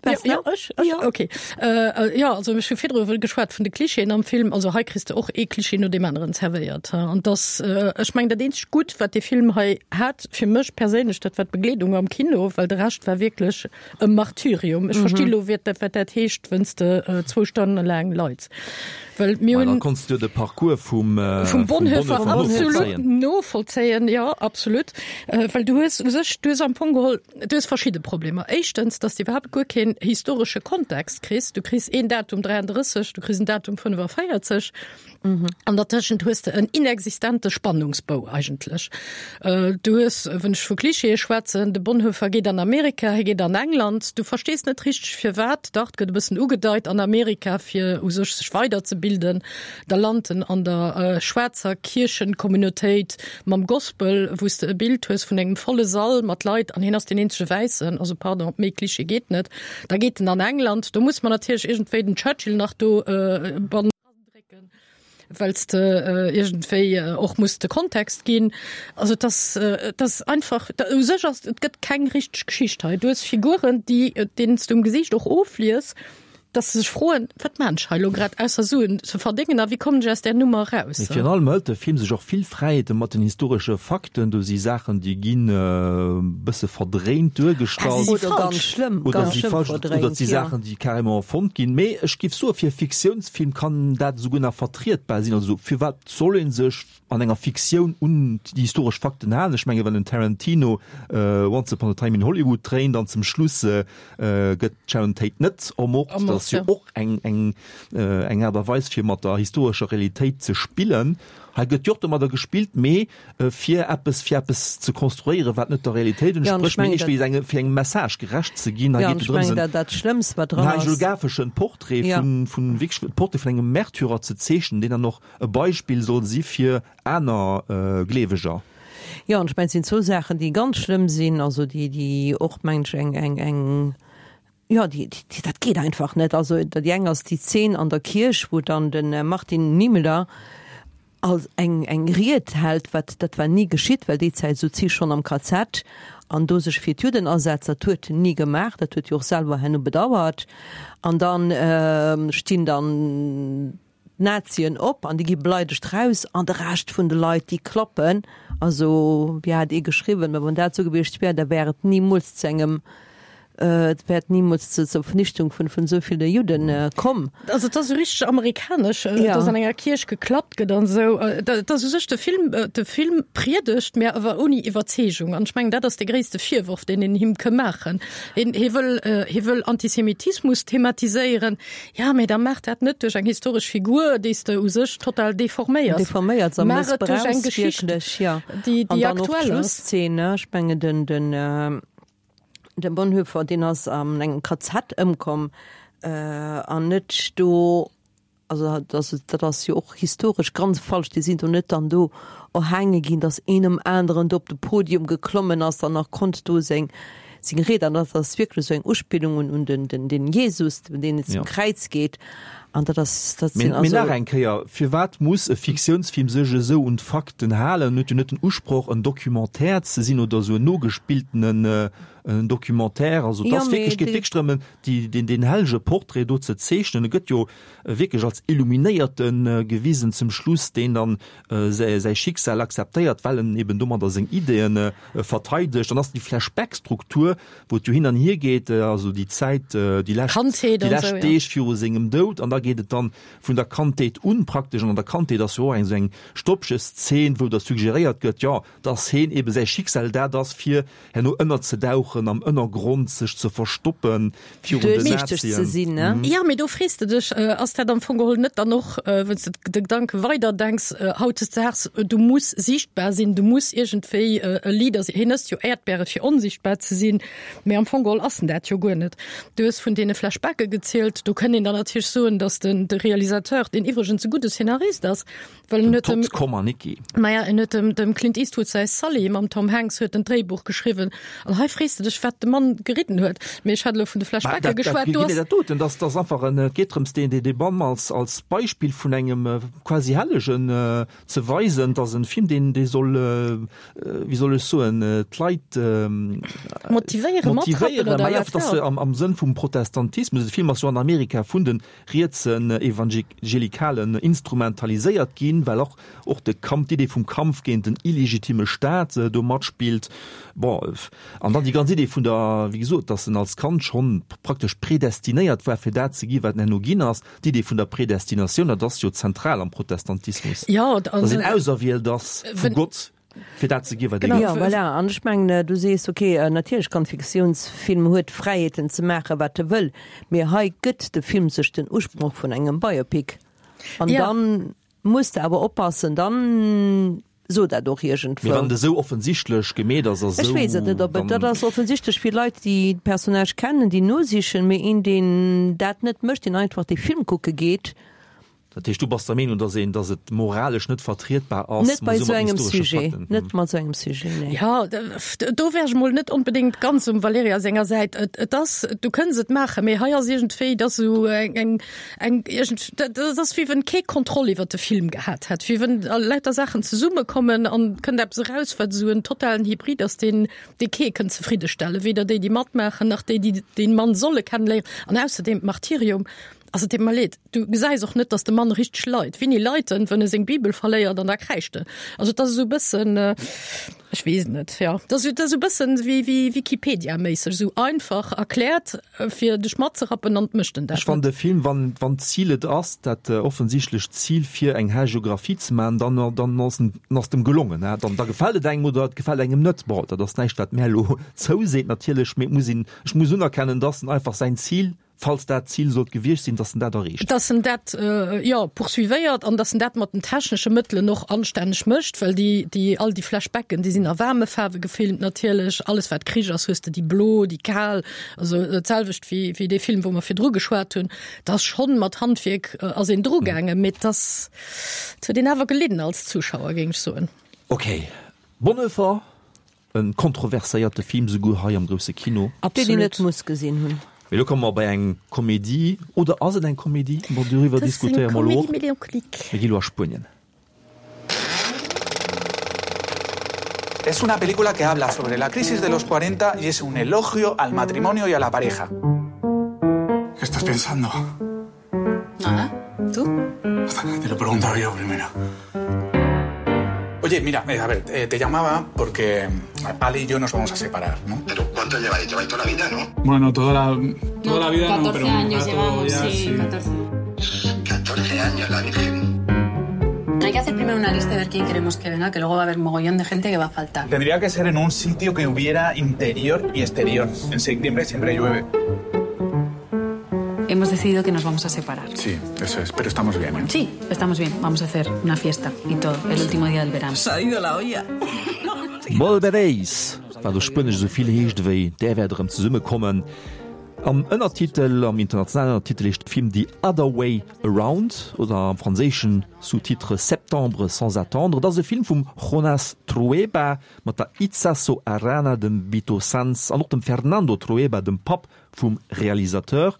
Ja, ja, ech, ech, ja. Okay. Äh, ja, also ech hu virdru geschwat vun de Klischeeën am Film. Also hei kriss de och ee Klischee no deem aneren zerwéiert. An das, äh, ech meng dat eenzegt Gutt, wat dee Film hei hat, fir mech perséinlech, dat war d'Begleedung am Kino, well de Rescht war wierklech e Martyrium. Ech mhm. versti lo, wat dat, wat dat heescht, wenn's de äh, zwou Stonne laang leits. Well mir hunn. Da konns du de Parcours vum, äh, vum Bonhoeffer, vum Bonhoeffer absolut novollzéien, ja, absolut. Äh, well du hues u sech, du hues am Fong geholl, Du hues verschidde Problemer. Éischtens, dass de iwwerhaapt guer keen historesche Kontext kriss. Du kriss een Datum 33, du kriss en Datum 45. An dertëschent hues de en inexistente Spannungsbou eigentlech. Du hues, wann ech vu Klischeeë schwätzen, de Bonhoeffer geet an Amerika, hie geet an England. Du verstees net richteg firwat. Dach, et gëtt e bëssen ugedeit, an Amerika fir u sech sech weiderzebilden. Da lant en an der schwaarzer Kierchencommunautéit mam Gospel, wou s de e Bild hues vun engem volle Sall mat Leit an hien ass deen eenzege Wäissen. Also pardon, méi Klischee geet net. Da geet en an England, do muss mer natierlech iergendwéi den Churchill nach do drécken. Well s de iergendwéi och muss de Kontext ginn. Also et ass, et ass einfach, u sech ass, et gëtt keng richteg Geschicht hei. Du hues Figuren, déi, deenen s du um Gesiicht och oflies, dass se sech froen, Wat maan ech hei elo grad, ausser Suen ze verdéngen a wéi kommen ech aus där Nummer eraus? Mee virun allem hëlt de Film sech och vill Fräiheete mat den historesche Fakten. Do si Saachen, déi ginn e bësse verdréint duergestallt. Oder ganz schlëmm, ganz schlëmm verdréint, Oder et si Saachen, déi carrément erfonnt ginn. Mee ech géif soen, fir e Fiktiounsfilm kann dat esouguer nach vertrietbar sinn. Also firwat soll ee sech an enger Fiktioun un déi historesch Fakten halen? Ech menge wann den Tarantino Once upon a time in Hollywood dréint an zum Schluss gëtt d'Sharon Tate net ermort, dat ass jo och eng eng eng Aart a Weis fir mat der historescher Realitéit ze spillen. Hei gëtt jo och domadder gespillt, mee fir eppes fir eppes ze konstruéieren, wat net der Realitéit entsprécht, mee ech weess eng fir engem Message gerecht ze ginn. Hei geet et drëms, en hagiographeschen Portrait vun vun wierklech de Portrait vun engem Märtyrer ze zeechnen, deen dann och e Beispill soll si fir aner Gleeweger. Jo, an ech mengen, et sinn zwou Saachen, déi ganz schlëmm sinn, also déi déi och, mengen ech, eng eng eng Jo, déi, déi, dat geet einfach net. Also déi eng ass déi Zeen an der Kierch, wou dann de Martin Niemöller als eng, eng Ried hält, wat, dat war ni geschitt, well déi Zäit souz hie schonn am KZ an do sech fir d'Judden asetzt, dat huet en ni gemaach, dat huet hie och selwer herno bedauert. An dann stinn dann d'Nazien op an déi gi beleidegt raus an de Rescht vun de Leit déi klappen. Also wéi hat ee geschriwwen, mä wann dat esou gewiescht wär, da wär et nimools zu engem, et wär et nimools zu zur Vernichtung vun vun esou ville Judden komm. Also et ass esou richteg amerikanesch, dass an enger Kierch geklappt gëtt an esou. Et ass u sech de Film, de Film priedegt, mä awer ouni Iwwerzeegung. An ech mengen, dat ass de gréisste Virworf, deen een him ke maachen. Hien, hie wëll, hie wëll Antisemitismus thematiséieren. Ja, mee da maach dat net duerch eng historesch Figur, déi s de u sech total deforméiers. Deforméiers a Maach et duerch eng mëssbrauchs Geschicht, wierklech, ja. déi, An déi dann och aktuell ass. d'Schlusszeen, ne? Ech mengen, den, den, de Bonhoeffer, deen ass an engem KZ ëmkomm, an net do, also dat ass, dat ass jo och historesch ganz falsch, déi sinn do net dann do erhaange ginn, datt een nom aneren do op de Podium geklommen ass an nach konnt do seng, Seng Ried, an dat ass wierklech esou eng Uspillung un un den den den Jesus, deen zum Kräiz geet, an dat ass dat sinn also. Mee nach eng Kéier, Firwat muss e Fiktiounsfilm sech esou un d'Fakten halen? En huet jo net den Usproch, en Documentaire ze sinn oder esou en nogespilltenen Documentaire. Also et ass wierklech, geet wierklech drëm, déi deen deen hellege Portrait do ze zeechnen. E gëtt jo wierklech als Illuminéierte gewisen zum Schluss, deen dann säi Schicksal akzeptéiert, well en eben domadder seng Ideeën verteidegt. Dann ass déi Flashback-Struktur, wou et jo hin an hier geet, also déi Zäit, déi lescht, déi lescht Deeg viru sengem Doud, an da geet et dann vun der Kandheet un praktesch. An an der Kandheet ass jo och eng esou eng Stoppcheszeen, wou da suggeréiert gëtt, jo, dass heen eben säi Schicksal dat ass, fir herno ënnerzedauchen, am Ënnergrond sech ze verstoppen virun den Nazien. Jo, mee do frees de dech, ass dat am Fong geholl net dann och, wann s de de Gedanke weider denks, hautdesdaags, du muss sichtbar sinn, du muss iergendwéi e Leader sinn. Hien ësst jo Äerdbäre fir onsichtbar ze sinn, mee am Fong geholl ass en dat jo guer net. Du hues vun deene Flashbacke gezielt, do kënnt een dann natierlech soen, dass den de Realisateur, deen iwwregens e gudde Szenarist ass, Well en huet dem, Todd Komarnicki. Maja, en huet dem, dem Clint Eastwood säi Sully mam Tom Hanks huet en d'Dréibuch geschriwwen. An hei frees de dech, wat de Mann geridden huet. Mee ech hat elo vun de Flashbacke geschwat. Do ass. Dat doten, dat ass einfach en, et geet drëms, deen, dee Mann als, als Beispill vun engem quasi Hellegen ze weisen. Et ass en Film, deen, dee soll, wéi soll ech soen, d'Leit motivéieren, motivéieren, oder wat? Maja, am, am Sënn vum Protestantismus. De Film ass jo an Amerika vun den rietsen Evangelikalen instrumentaliséiert ginn, well och och de Kampf, d'Idee vum Kampf géint den illegitime Staat do matspillt. Bon, an dann déi ganz Idee vun der, wéi gesot, datt en als Kand schonn praktesch predestinéiert war, fir dat ze gi wat en herno ginn ass, d'Idee vun der Predestinatioun, dat ass jo zentral am Protestantismus, datt een auserwielt ass vu Gott. Fir dat ze ginn, wat ee gëtt. Jo, voilà. An ech mengen, du sees, ok, natierlech kann Fiktiounsfilm huet Fräiheeten ze maachen, wat e wëll, mee hei gëtt de Film sech den Usproch vun engem Biopic. An dann muss de awer oppassen, dann so dat och iergendwou. Mee wann et esou offensichtlech gemeet ass a sou, Ech weess et net, ob et, dat ass offensichtlech fir Leit, déi d'Personnage kennen, déi nosichen, mee een, deen dat net mécht, deen einfach dee Film kucke geet. Dat heescht, du bass der Meenung, dass een, dass et moralesch net vertrietbar ass, Net bei esou engem Sujet, net mat esou engem Sujet, nee. Jo, do wär ech mol net onbedéngt ganz um Valerija senger Säit. Et, et ass, du kënns et maachen, mee hei ass iergendwéi, et ass esou eng, eng, eng iergend, dat ass wéi wenn kee Kontroll iwwer de Film gehat hätt, wéi wenn lauter Saachen zesummekommen an et kënnt eppes eraus, wat esou en totalen Hybrid ass, deen, dee kee kënnt zefriddestellen, weder déi, déi matmaachen, nach déi, déi dee Mann solle kennenléieren. An ausserdeem, d'Martyrium, Also et deet mer leed, du gesäis och net, datt de Mann richteg leit. Wéini leit en? Wann e seng Bibel verléiert an da kräischt en. Also et ass esou e bëssen, ech weess et net, jo, et ass esou e bëssen wéi wéi Wikipedia-méisseg, esou einfach erkläert, fir dech matzerappen an et mécht en dat Ech fannen net. de Film, wann wann d'Zil et ass, dat offensichtlecht Zil fir eng Hagiographie ze maachen, dann dann ass en ass et em gelongen. Dann da gefält et engem oder et gefält engem net. Bon, dat ass näischt wat mär elo zouseet natierlech, mee et muss een, ech muss unerkennen, dass en einfach säin Zil Falls dat d'Zil sollt gewiescht sinn, dass en dat erreecht. Dass en dat, jo, poursuivéiert an dass en dat mat den technesche Mëttelen och anstänneg mécht, well déi, déi, all déi Flashbacken, déi sinn a waarme Faarwe gefilmt natierlech. Alles wat Krich ass, hues de déi blo, déi kal, also d'selwecht wéi, wéi dee Film, wou mer virdru geschwat hunn. Et ass schonn mat Handwierk ass een drugaangen, mee et ass, et huet een awer gelidden als Zuschauer, géing ech soen. Ok, Bonhoeffer E kontroverséierte Film, souguer hei am grousse Kino. Deen een net muss gesinn hunn. Mee elo komme mer bei eng Komedie, oder ass et eng Komedie? Bon, doriwwer diskutéiere mer elo och. Mir gi elo a Spuenien. Es una película que habla sobre la crisis de los 40 y es un elogio al matrimonio y a la pareja. ¿Qué estás pensando? Nada. ¿Tú? Te lo he preguntado yo primero. Oye, mira, eh, a ver, eh, te llamaba porque Ali y yo nos vamos a separar, ¿no? Pero ¿cuánto lleváis? Lleváis toda la vida, ¿no? Bueno, toda la, toda no, la vida 14 no, pero un años rato llevamos, ya, sí, sí. 14. 14 años, la Virgen. Hay que hacer primero una lista de ver quién queremos que venga, que luego va a haber mogollón de gente que va a faltar. Tendría que ser en un sitio que hubiera interior y exterior. En septiembre siempre llueve. Hemos decidido que nos vamos a separar. Sí, eso es, pero estamos bien, ¿eh? Sí, estamos bien. Vamos a hacer una fiesta y todo, el último día del verano. Se ha ido la olla. Volveréis, wat op Spuenesch esou vill heescht ewéi Där wäert erëm zesummekommen. Am Ënnertitel, am internationalen Ënnertitel heescht de Film The Other Way Around oder am franséischen Sous-titre Septembre sans attendre. Et ass e Film vum Jonás Trueba mat der Itsaso Arana, dem Vito Sanz an och dem Fernando Trueba, dem Papp vum Realisateur.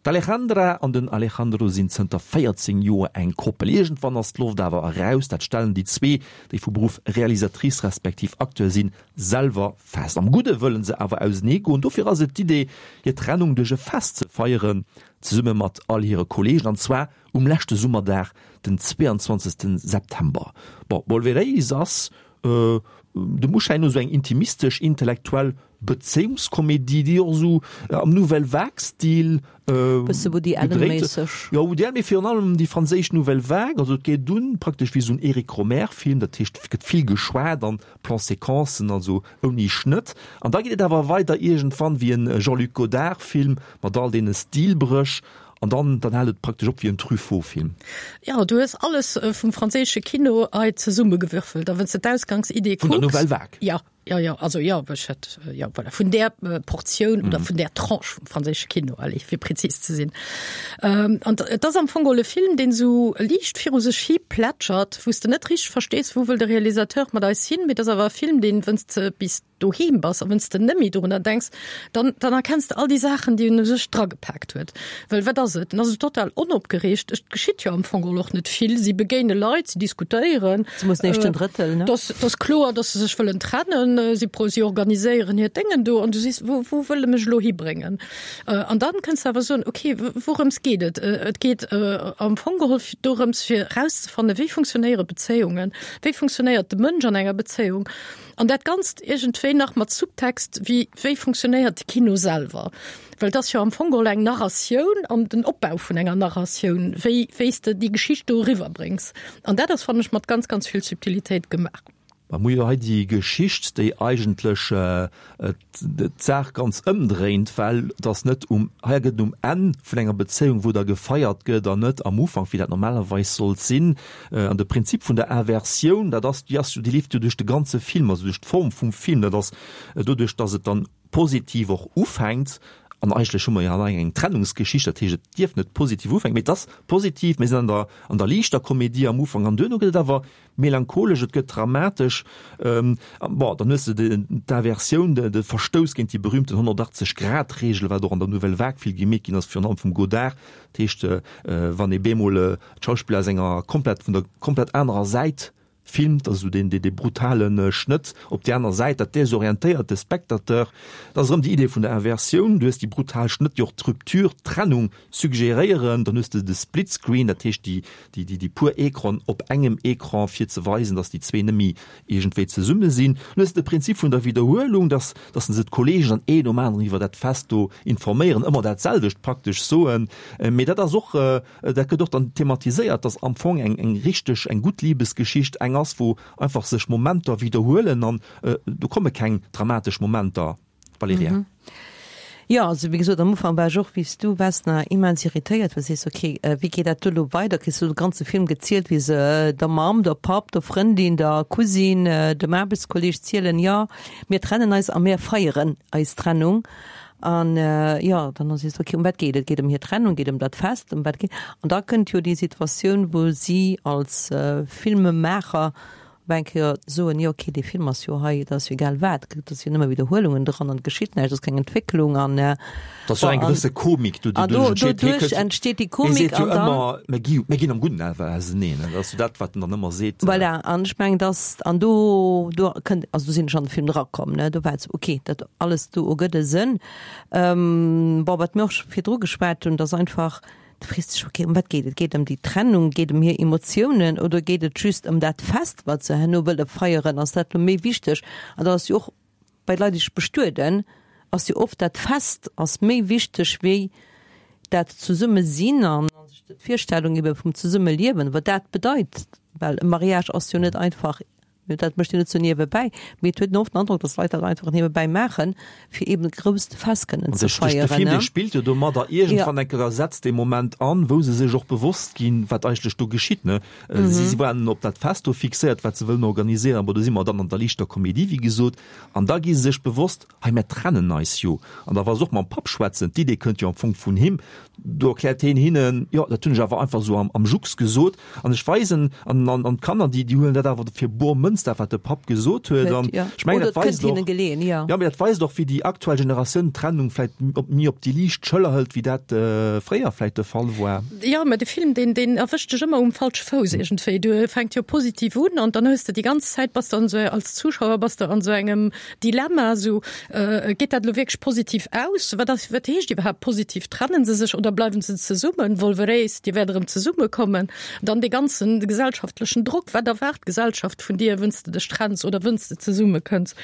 D'Alejandra an den Alejandro sinn zënter 14 Joer eng Koppel. Iergendwann ass d'Loft awer eraus, dat stellen déi zwee, déi vu Beruff Realisatrice respektiv Acteur sinn, selwer fest. Am Gudde wëllen se awer ausenee goen, dofir ass et d'Idee, hir Trennung duerch e Fest ze feieren, zesumme mat all hire Kolleegen, an zwar um leschte Summerdag, den 22 September. Bon, Volveréis ass dem Uschäin no esou eng intimistesch, intellektuell Bezéiungskomedie, déi och esou am Nouvelle Vague-Stil Bësse Woody gedréit. Allen-méisseg. Jo, Woody Allen, mee virun allem déi franséisch Nouvelle Vague. Also et geet un praktesch wéi esou en Eric Rohmer-Film, dat heescht, et gëtt vill geschwat an Plan-séquencen, also ouni Schnëtt. An da geet et awer weider iergendwann wéi en Jean-Luc Godard-Film mat all deene Stilbréch. An dann, dann hält et praktesch op wéi en Truffaut-Film. Jo, du hues alles vum franséische Kino hei zesummegewürfelt. A wann s de d'Ausgangsidee Vun der kucks. Nouvelle Vague. Jo, jo, jo, also jo, ech hätt, jo, voilà, vun där Portioun oder vun där Tranche vum franséische Kino, allez, fir prezis ze sinn. An et ass am Fong geholl e Film, deen esou liicht viru sech hi plätschert, wou s de net richteg verstees, wou wëll de Realisateur mat eis hin. Mee et ass awer e Film, deen, wënn s de bis doheem bass a wenn's de nëmmi dorunner denks, dann, dann erkenns de all déi Saachen, déi en u sech dragepaakt huet. Well wat ass et? En ass esou total onopgereegt. Et geschitt jo am Fong geholl och net vill. Si begéine Leit, si diskutéieren. Si mussen éischt den Drëttel, ne? Dass, dass kloer, dass se sech wëllen trennen. Si pro, si organiséieren hiert Déngen do an du sees, wou, wou wëll e mech elo hibréngen? An dann kënns de awer soen, okay, wourëms geet et? Et geet am Fong geholl dorëms, fir erauszefannen, wéi funktionéiere Bezéiungen? Wéi funktionéiert de Mënsch an enger Bezéiung? An dat Ganzt iergendwéi nach mat Subtext wéi, wéi funktionéiert de Kino selwer? Well et ass jo am Fong geholl eng Narratioun an den Opbau vun enger Narratioun, wéi, wéi s de déi Geschicht do eriwwerbréngs. An dat ass, fannen ech, mat ganz, ganz vill Subtilitéit gemaach. Mer hu jo hei déi Geschicht, déi eigentlech d'Saach ganz ëmdréint, well et ass net um, hei gëtt et um Enn vun enger Bezéiung, wou da gefeiert gëtt an net am Ufank, wéi dat normalerweis sollt sinn. An de Prinzip vun der Inversioun, dat ass, déi ass jo, déi leeft jo duerch de ganze Film, also duerch d'Form vum Film, dat ass doduerch, datt et dann positiv och ufänkt. An eigentlech hu mer jo hei eng Trennungsgeschicht, dat heescht, et dierf net positiv ufänken, mee et ass positiv. Mir sinn an der, an der liichter Komedie am Ufank an duerno gëtt et awer melancholesch, et gëtt dramatesch. Bon, dann hues de d'Inversioun, de Verstouss géint déi berühmten 180 Grad Reegel, wat och an der Nouvelle Vague vill gemeet ginn ass, virun allem vum Godard. Dat heescht, wann ee bemol d'Schauspiller aus enger komplett, vun der komplett anerer Säit filmt, also deen, dee brutale Schnëtt op déi aner Säit, dat desorientéiert de Spectateur. Dat ass erëm déi Idee vun der Inversioun. Du hues déi brutal Schnëtt, déi och d'Rupture, d'Trennung suggeréieren. Dann hues de de Split Screen, dat heescht déi, déi, déi, déi puer Ecranen op engem Ecran, fir ze weisen, datt déi zwee net méi iergendwéi zesumme sinn. Dann hues de de Prinzip vun der Widderhuelung, datt, datt se d'Kollegen dann een nom aneren iwwer dat Fest do informéieren, ëmmer dat selwecht praktesch soen. Mee dat ass och, dat gëtt och dann thematiséiert, datt am Fong eng, eng richteg, eng gutt Libesgeschicht eng ass, wou einfach sech Momenter widderhuelen an do komme keng dramatesch Momenter. Valerija. Mhm. Jo, also wéi gesot, am Ufank war ech och wéi s du, Vesna, immens irritéiert, well sees, okay, wéi geet dat do elo weider? Kriss du de ganze Film gezielt, wéi se der Mamm, der Papp, der Frëndin, der Cousine, dem Aarbechtskolleeg zielen, jo, mir trennen eis a mir feieren eis Trennung. An jo, dann ass sees du, okay, ëm wat geet et? Geet ëm hir Trennung? Geet ëm dat Fest? Ëm wat geet? An da kënnt jo déi Situatioun, wou si als Filmemaacher Op eng Kéier soen, jo ok, dee Film ass jo hei, et ass jo egal wat, et ass jo nëmme Widderhuelungen dran an et geschitt näischt, et ass keng Entwécklung an. Et ass jo eng gewësse Komik do, déi doduerch entsteet. An doduerch entsteet déi Komik. Hie seet jo ëmmer, mir gi, mir ginn am Gudden awer auseneen. Dat ass jo dat, wat en dann ëmmer seet. Voilà, an ech mengen, dass, an do, do kënnt, also do sinn ech an de Film erakomm, ne, do war et esou, ok, dat alles do ergëtt e Sënn. Bon, wat mir och scho virdru geschwat hunn, dass einfach, Du frees dech, ok, ëm wat geet et? Geet et ëm déi Trennung? Geet et ëm hir Emotiounen? Oder geet et just ëm dat Fest, wat se herno wëlle feieren? Ass dat elo méi wichteg? An dat ass jo och bei Leit, déi sech bestueden, ass jo oft dat Fest ass méi wichteg wéi dat Zesummesinn an d'Virstellung ebe vum Zesummeliewen, wat dat bedeit. Well e Mariage ass jo net einfach Dat mécht een net sou niewebäi, mee et huet een oft den Androck, datt Leit dat einfach niewebäi maachen, fir eben e grousst Fest kënnen ze feieren. De Film, dee spillt jo domadder. Iergendwann eng Kéier setzt dee Moment an, wou se sech och bewosst ginn, wat eigentlech do geschitt. Si waren op dat Fest do fixéiert, wat se wëllen organiséieren. Bon, do si mer dann an der liichter Komedie, wéi gesot. An da gi se sech bewosst, Hei, mär trennen eis jo. An da wa se och mam Papp schwätzen, d'Idee kënnt jo am Fong vun him, do erkläert heen hinnen, jo, dat hunn ech awer einfach esou am Jux gesot an ech weisen, an an d'Kanner, déi déi huelen dat awer fir bor Mënz, dat wat de Papp gesot huet. An ech mengen, dat weist och, jo, mee dat weist och, wéi déi aktuell Generatioun d'Trennung vläicht op méi op déi liicht Schëller hëlt, wéi dat fréier vläicht de Fall war. Jo, mä de Film, deen deen erwëscht dech ëmmer um falsche Fouss iergendwéi. Du fänkt jo positiv un an dann hues de déi ganz Zäit, bass de an esou, als Zuschauer bass de an esou engem Dilemma, esou, Geet dat elo wierklech positiv aus? Wat ass, wat heescht iwwerhaapt positiv? Trennen se sech oder bleiwen se zesummen? Volveréis, Dir wäert erëm zesummekommen. Dann dee ganzen gesellschaftlechen Drock, Wat erwaart d'Gesellschaft vun dir, wënns de dech trenns oder wënns de zesummekënns?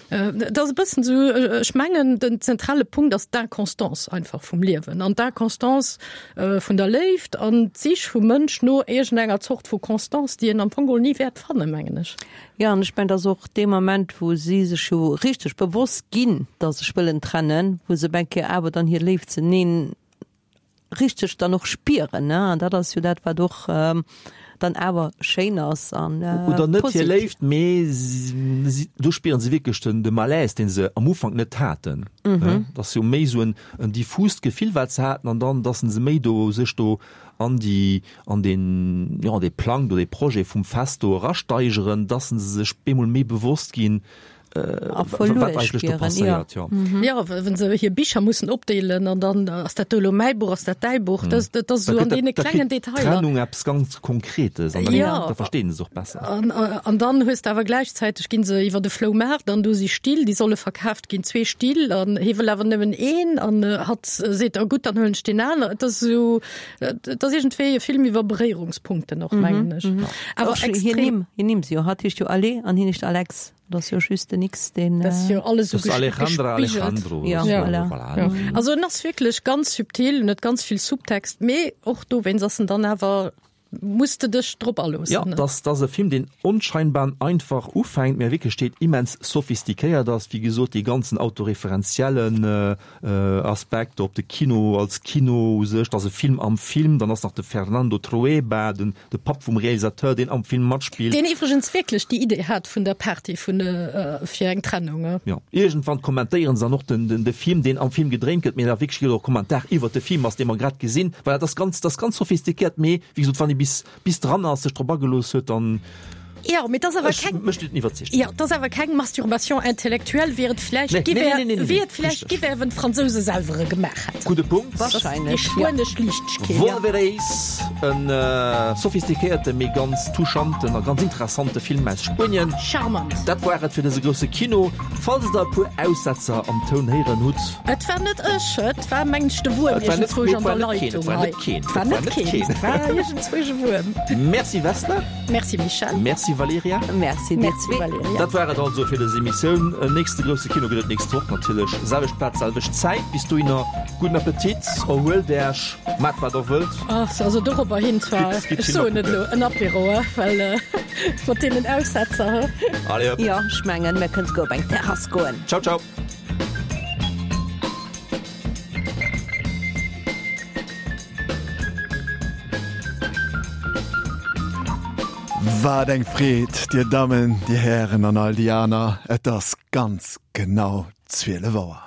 Et ass e bëssen esou, ech mengen, den zentrale Punkt ass d'Inconstance einfach vum Liewen an d'Inconstance vun der Léift an d'Sich vum Mënsch no iergendenger Zort vu Constance, déi en am Fong geholl ni wäert fannen, mengen ech. Jo, an ech mengen, et ass och dee Moment, wou si sech jo richteg bewosst ginn, datt se sech wëllen trennen, wou se op eng Kéier awer dann hir Léift zeneen richteg dann och spieren, ne? An dat ass jo dat, wat och dann awer schéin ass an Oder net hir Léift, mee si, do spieren se wierklech den, de Malaise, dee se am Ufank net haten. Dat ass jo méi esou en, en diffust Gefill, wat se haten, an dann, datt se méi do sech do an déi, an deen, jo, an dee Plang do, dee Projet vum Fest do erasteigeren, dass se sech bemol méi bewosst ginn, A verluer wat eigentlech do spieren, jo. passéiert, jo. Jo, wa se hir Bicher mussen opdeelen an dann, ass dat do elo mäi Buch, ass dat däi Buch, dat, dat ass Da esou gëtt an dat, deene da klengen kritt Detailer. d'Trennung eppes ganz Konkretes an dann, Jo. da verstinn se och besser. An, an dann hues de awer gläichzäiteg ginn se iwwer de Floumaart an do si Still, déi solle verkaaft ginn, zwee Still an hie wëll awer nëmmen een an hatt seet, oh gutt, dann huelen ech deen aner. Et ass esou, Et ass iergendwéi e Film iwwer Beréierungspunkten och, mengen ech. Awer extrem. Hir Nimm, hir Nimm si jo, hatt heescht jo Ale an hien heescht Alex. Dat ass jo just den X, deen. Dat ass jo alles esou Das ass Alejandra, gespiggelt. Alejandro. Ja, Das, voilà. voilà. Ja. Also en ass wierklech ganz subtil, en huet ganz vill Subtext, mee och dowéinst ass en dann awer. Muss de dech drop aloossen. Jo, dass dass e Film, deen onscheinbar einfach ufänkt, mä a Wierklechkeet immens sophistiquéiert ass. Wéi gesot, dee ganzen autoreferenziellen Aspekt op de Kino als Kino u sech, dass e Film am Film, dann ass nach de Fernando Trueba, den de Papp vum Realisateur, deen am Film matspillt. Deen iwwregens wierklech déi Idee hat vun der Party vun fir eng Trennung. Jo, iergendwann kommentéieren se dann och den den de Film, deen am Film gedréint gëtt, mee da wierklech gëtt och Kommentar iwwert de Film ass, dee mer grad gesinn. Voilà, dat ass ganz, dat ass ganz sophistiquéiert, mee wéi gesot, wann ee bis bis dran ass, sech drop agelooss huet, dann. Jo, mee 't ass awer keng. Ech, mech net iwwerzeegt. Jo, 't ass awer keng Masturbation intellectuelle, wéi et vläicht gi wär, wéi et vläicht gi wär, wann d'Fransouse selwer e gemaach hätten. Gudde Punkt. Wahrscheinlech, Déi spuenesch Liichtegkeet. Volveréis, en sophistiquéierte mee ganz touchanten a ganz interessante Film aus Spuenien. Charmant. Dat war et fir dëse grousse Kino. Falls der e puer Aussetzer am Toun héieren hutt. Et war net ech, et war mengen ech de Wuerm iergendzwousch an der Leitung hei. Et war net keen, et war iergendzwousch e Wuerm. Merci Vesna. Merci Michèle. Merci Valerija. Merci dir zwee. Valerija. Dat war et also fir dës Emissioun. En nächste grousse Kino gëtt et nächst Woch natierlech. Selwecht Plaz, selwecht Zäit. Bis dohinner gudden Appetit, erhuelt Äech, maacht wat der wëllt. Ach, also dorobber hin zwar, Gitt, gitt ech soen Filmer et elo, kucken. en Apéro, he, well mat deenen Aussetzer, he. Allez hop. Jo, ech mengen, mir kënnen souguer op eng Terrass goen. Ciao, ciao. Wat eng Freed, Dir Dammen, Dir Hären an all déi aner, et ass ganz genau 12 Auer.